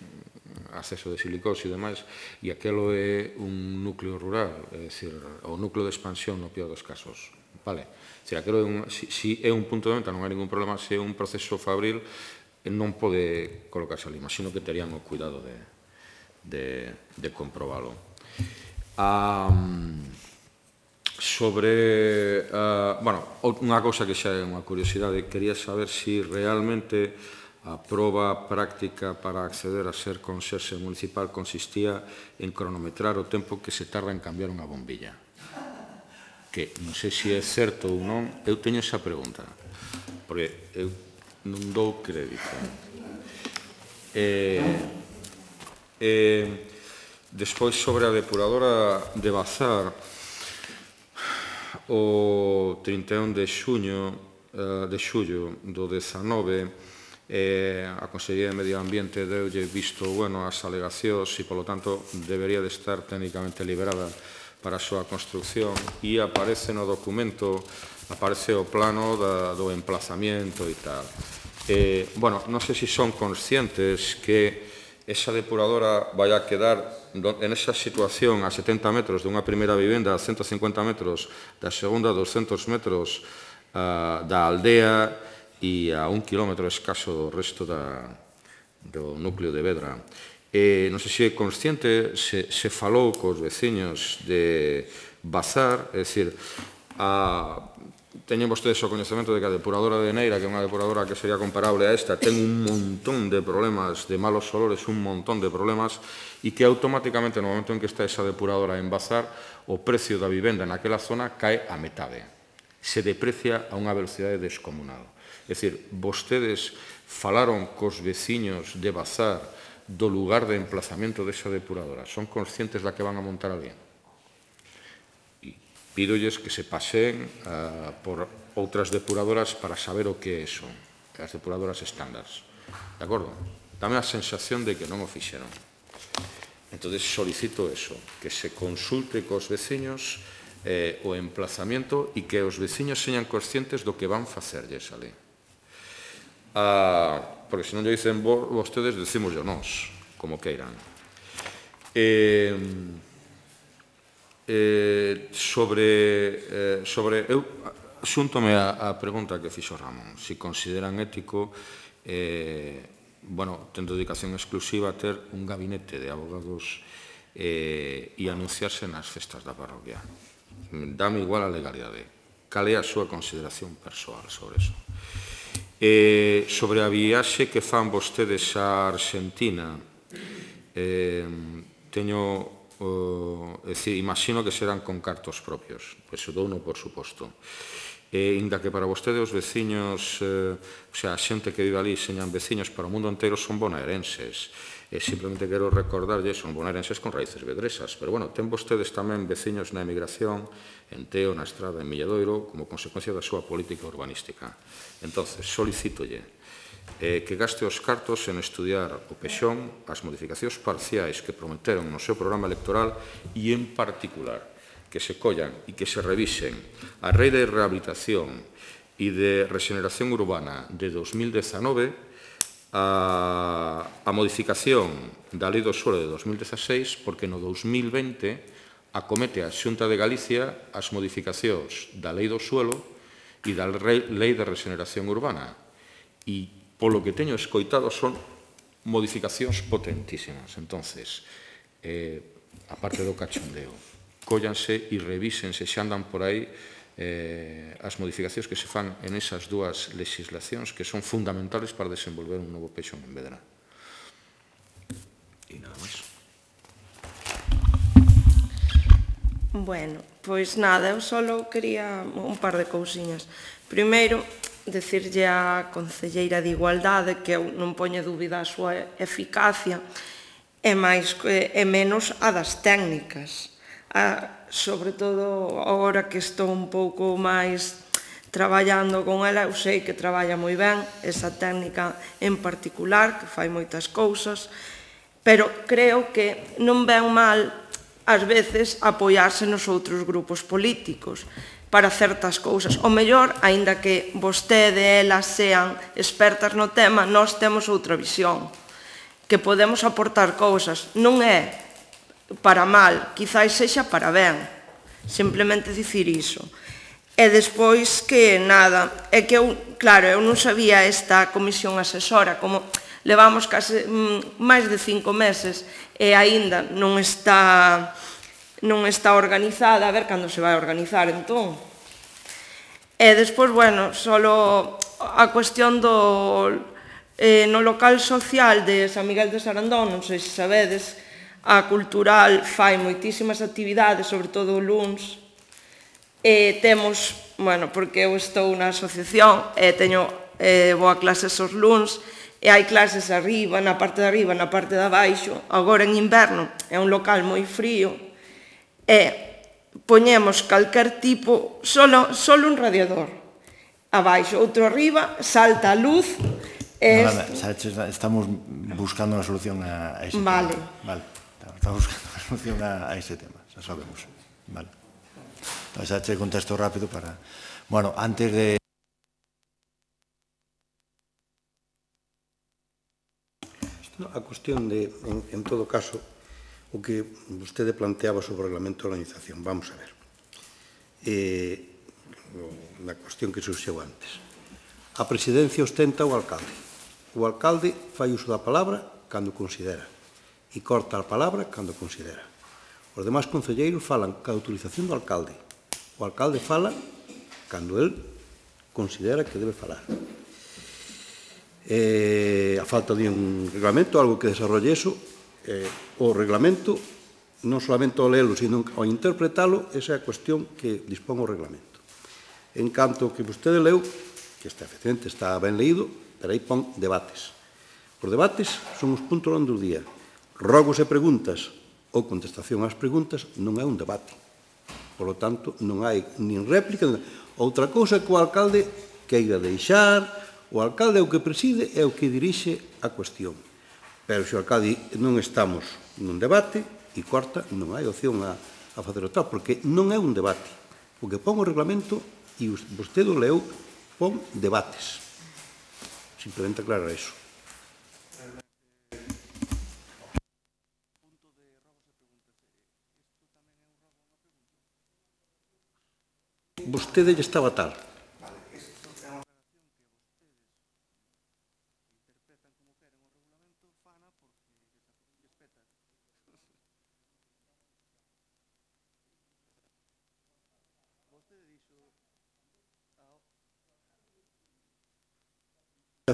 acceso de silicose e demais, e aquelo é un núcleo rural, é dicir, o núcleo de expansión no peor dos casos, vale? Se é un punto de venta non hai ningún problema, se é un proceso fabril non pode colocarse ali, imagino que terían o cuidado de comprobalo. Sobre, bueno, unha cousa que xa é unha curiosidade, quería saber se realmente a proba práctica para acceder a ser conserxe municipal consistía en cronometrar o tempo que se tarda en cambiar unha bombilla. Que non sei se é certo ou non, eu teño esa pregunta, porque eu non dou crédito. Despois, sobre a depuradora de Bazar, o 31 de xullo do 19, a Consellería de Medio Ambiente deulle visto bueno ás alegacións e, polo tanto, debería de estar técnicamente liberada para a súa construcción e aparece no documento, aparece o plano do emplazamiento e tal. Bueno, non sei se son conscientes que esa depuradora vai a quedar en esa situación a 70 metros dunha primeira vivenda, a 150 metros da segunda, 200 metros da aldea e a 1 kilómetro escaso do resto do núcleo de Vedra. Non sei se é consciente, se falou cos veciños de Bazar, é dicir, teñen vostedes o coñecemento de que a depuradora de Neira, que é unha depuradora que sería comparable a esta, ten un montón de problemas, de malos olores, un montón de problemas, e que automáticamente no momento en que está esa depuradora en Bazar, o precio da vivenda naquela zona cae a metade. Se deprecia a unha velocidade descomunal. É dicir, vostedes falaron cos veciños de Bazar do lugar de emplazamento desa depuradora. Son conscientes da que van a montar ali? Pídolles que se paseen por outras depuradoras para saber o que son as depuradoras estándares. De acordo? Dame a sensación de que non o fixeron. Entón, solicito eso, que se consulte cos veciños o emplazamiento e que os veciños señan conscientes do que van facerlles ali. Porque se non lle dicen vostedes, decimos yo nós, como queiran. Eu xúntome a pregunta que fixo Ramón, se consideran ético, tendo dedicación exclusiva a ter un gabinete de abogados e anunciarse nas festas da parroquia. Dame igual a legalidade. Cal é a súa consideración persoal sobre eso? Sobre a viaxe que fan vostedes a Argentina, teño é dicir, imagino que serán con cartos propios, pois douno por suposto. Inda que para vostede os veciños, o sea, a xente que vive ali señan veciños para o mundo inteiro son bonaerenses. Simplemente quero recordarlle, son bonaerenses con raíces vedresas, pero bueno, ten vostedes tamén veciños na emigración, en Teo, na Estrada, en Milladoiro, como consecuencia da súa política urbanística. Entonces, solicítolle que gaste os cartos en estudiar o Pexón, as modificacións parciais que prometeron no seu programa electoral e, en particular, que se collan e que se revisen a Lei de Rehabilitación e de Regeneración Urbana de 2019, a modificación da Lei do Suelo de 2016, porque no 2020 acomete a Xunta de Galicia as modificacións da Lei do Suelo e da Lei de Regeneración Urbana. E, polo que teño escoitado, son modificacións potentísimas. Entonces, aparte do cachondeo, cóllanse e revísense, xa andan por aí, as modificacións que se fan en esas dúas legislacións que son fundamentales para desenvolver un novo Pexón en Vedra. E nada máis. Bueno, pois nada, eu só quería un par de cousiñas. Primeiro, decirlle á concelleira de Igualdade que eu non poño dúbida a súa eficacia e menos a das técnicas. Sobre todo agora que estou un pouco máis traballando con ela, eu sei que traballa moi ben esa técnica en particular, que fai moitas cousas, pero creo que non ven mal ás veces apoiarse nos outros grupos políticos para certas cousas. O mellor, aínda que vostede e elas sean expertas no tema, nós temos outra visión, que podemos aportar cousas. Non é para mal, quizáis sexa para ben, simplemente dicir iso. E despois que nada, é que eu, claro, eu non sabía esta comisión asesora, como levamos case máis de 5 meses e aínda non está organizada, a ver cando se vai organizar entón. E despois, bueno, só a cuestión no local social de San Miguel de Sarandón, non sei se sabedes, a cultural fai moitísimas actividades, sobre todo o luns, e temos, bueno, porque eu estou na asociación e vou a clases os luns, e hai clases arriba, na parte de arriba, na parte de abaixo. Agora en inverno é un local moi frío, e poñemos calquer tipo, solo un radiador abaixo, outro arriba, salta a luz. Estamos buscando unha solución a ese tema. Vale. Estamos buscando unha solución a ese tema, xa sabemos. Vale. Entón, xa che contesto rápido para... Bueno, antes de... A cuestión de, en todo caso, o que vostede planteaba sobre o reglamento de organización. Vamos a ver. Na cuestión que surxeu antes. A presidencia ostenta o alcalde. O alcalde fai uso da palabra cando considera e corta a palabra cando considera. Os demais concelleiros falan cada utilización do alcalde. O alcalde fala cando el considera que debe falar. A falta de un reglamento, algo que desarrolle eso, o reglamento, non solamente ao lelo, sino ao interpretalo, esa é a cuestión que dispón o reglamento. En canto que vostede leu, que efectivamente está ben leído, pero aí pon debates. Os debates son os puntos do día. Rogos e preguntas ou contestación ás preguntas non é un debate. Por lo tanto, non hai nin réplica. Outra cousa que o alcalde queira deixar, o alcalde é o que preside e o que dirixe a cuestión. Pero se o alcalde non estamos nun debate e corta, non hai opción a facer o tal, porque non é un debate. O que pon o reglamento, e vostede o leu, pon debates. Simplemente aclarar iso. Vostede lle estaba tal.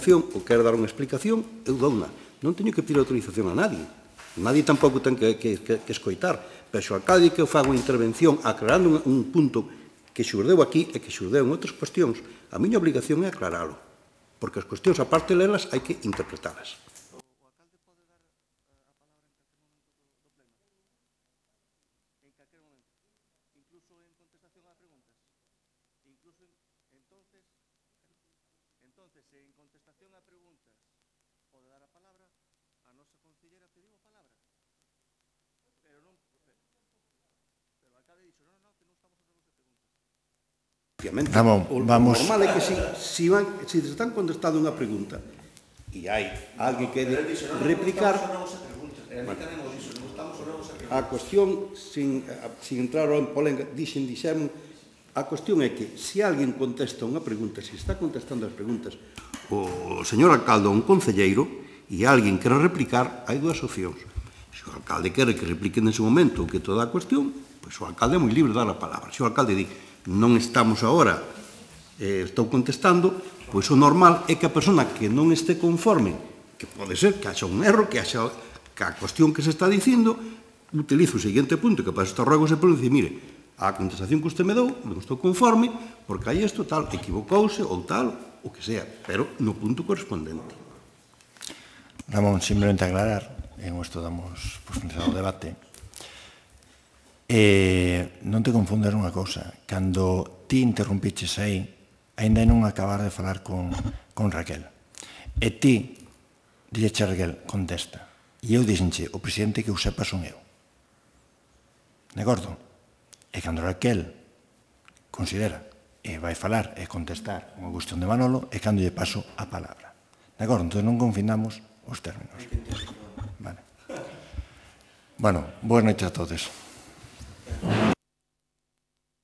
Ou quero dar unha explicación, eu dou unha. Non teño que pedir autorización a nadie. nadie tampouco ten que escoitar, pero se o alcalde que faga unha intervención aclarando un punto que xurdeu aquí e que xurdeu en outras cuestións, a miña obligación é aclaralo, porque as cuestións, aparte de lelas, hai que interpretalas. Ramón, vamos... O normal é que se están contestando unha pregunta e hai alguén que replicar a cuestión sin entrar en polémica, dixemos, a cuestión é que se alguén contesta unha pregunta, se está contestando as preguntas o señor alcalde ou un concelleiro e alguén quere replicar, hai dúas opcións. Se o alcalde quere que replique nese momento que toda a cuestión, pois o alcalde é moi libre de dar a palabra. Se o alcalde di non estamos agora, estou contestando, pois o normal é que a persona que non este conforme, que pode ser que haxa un erro, que haxa que a cuestión que se está dicindo, utilizo o seguinte punto, que para estos ruegos se pode dicir, mire, a contestación que usted me dou, non estou conforme, porque hai isto, tal, equivocouse, ou tal, o que sea, pero no punto correspondente. Ramón, simplemente aclarar, en isto damos por finalizado o debate, non te confundas unha cousa, cando ti interrumpiches aí, ainda non acabar de falar con Raquel, e ti dilleche a Raquel, contesta, e eu dixenche, o presidente que eu sepa son eu, de acordo? E cando Raquel considera e vai falar e contestar unha cuestión de Manolo, é cando lle paso a palabra, de acordo? Entón non confinamos os términos. Vale. Bueno, boas noites a todos.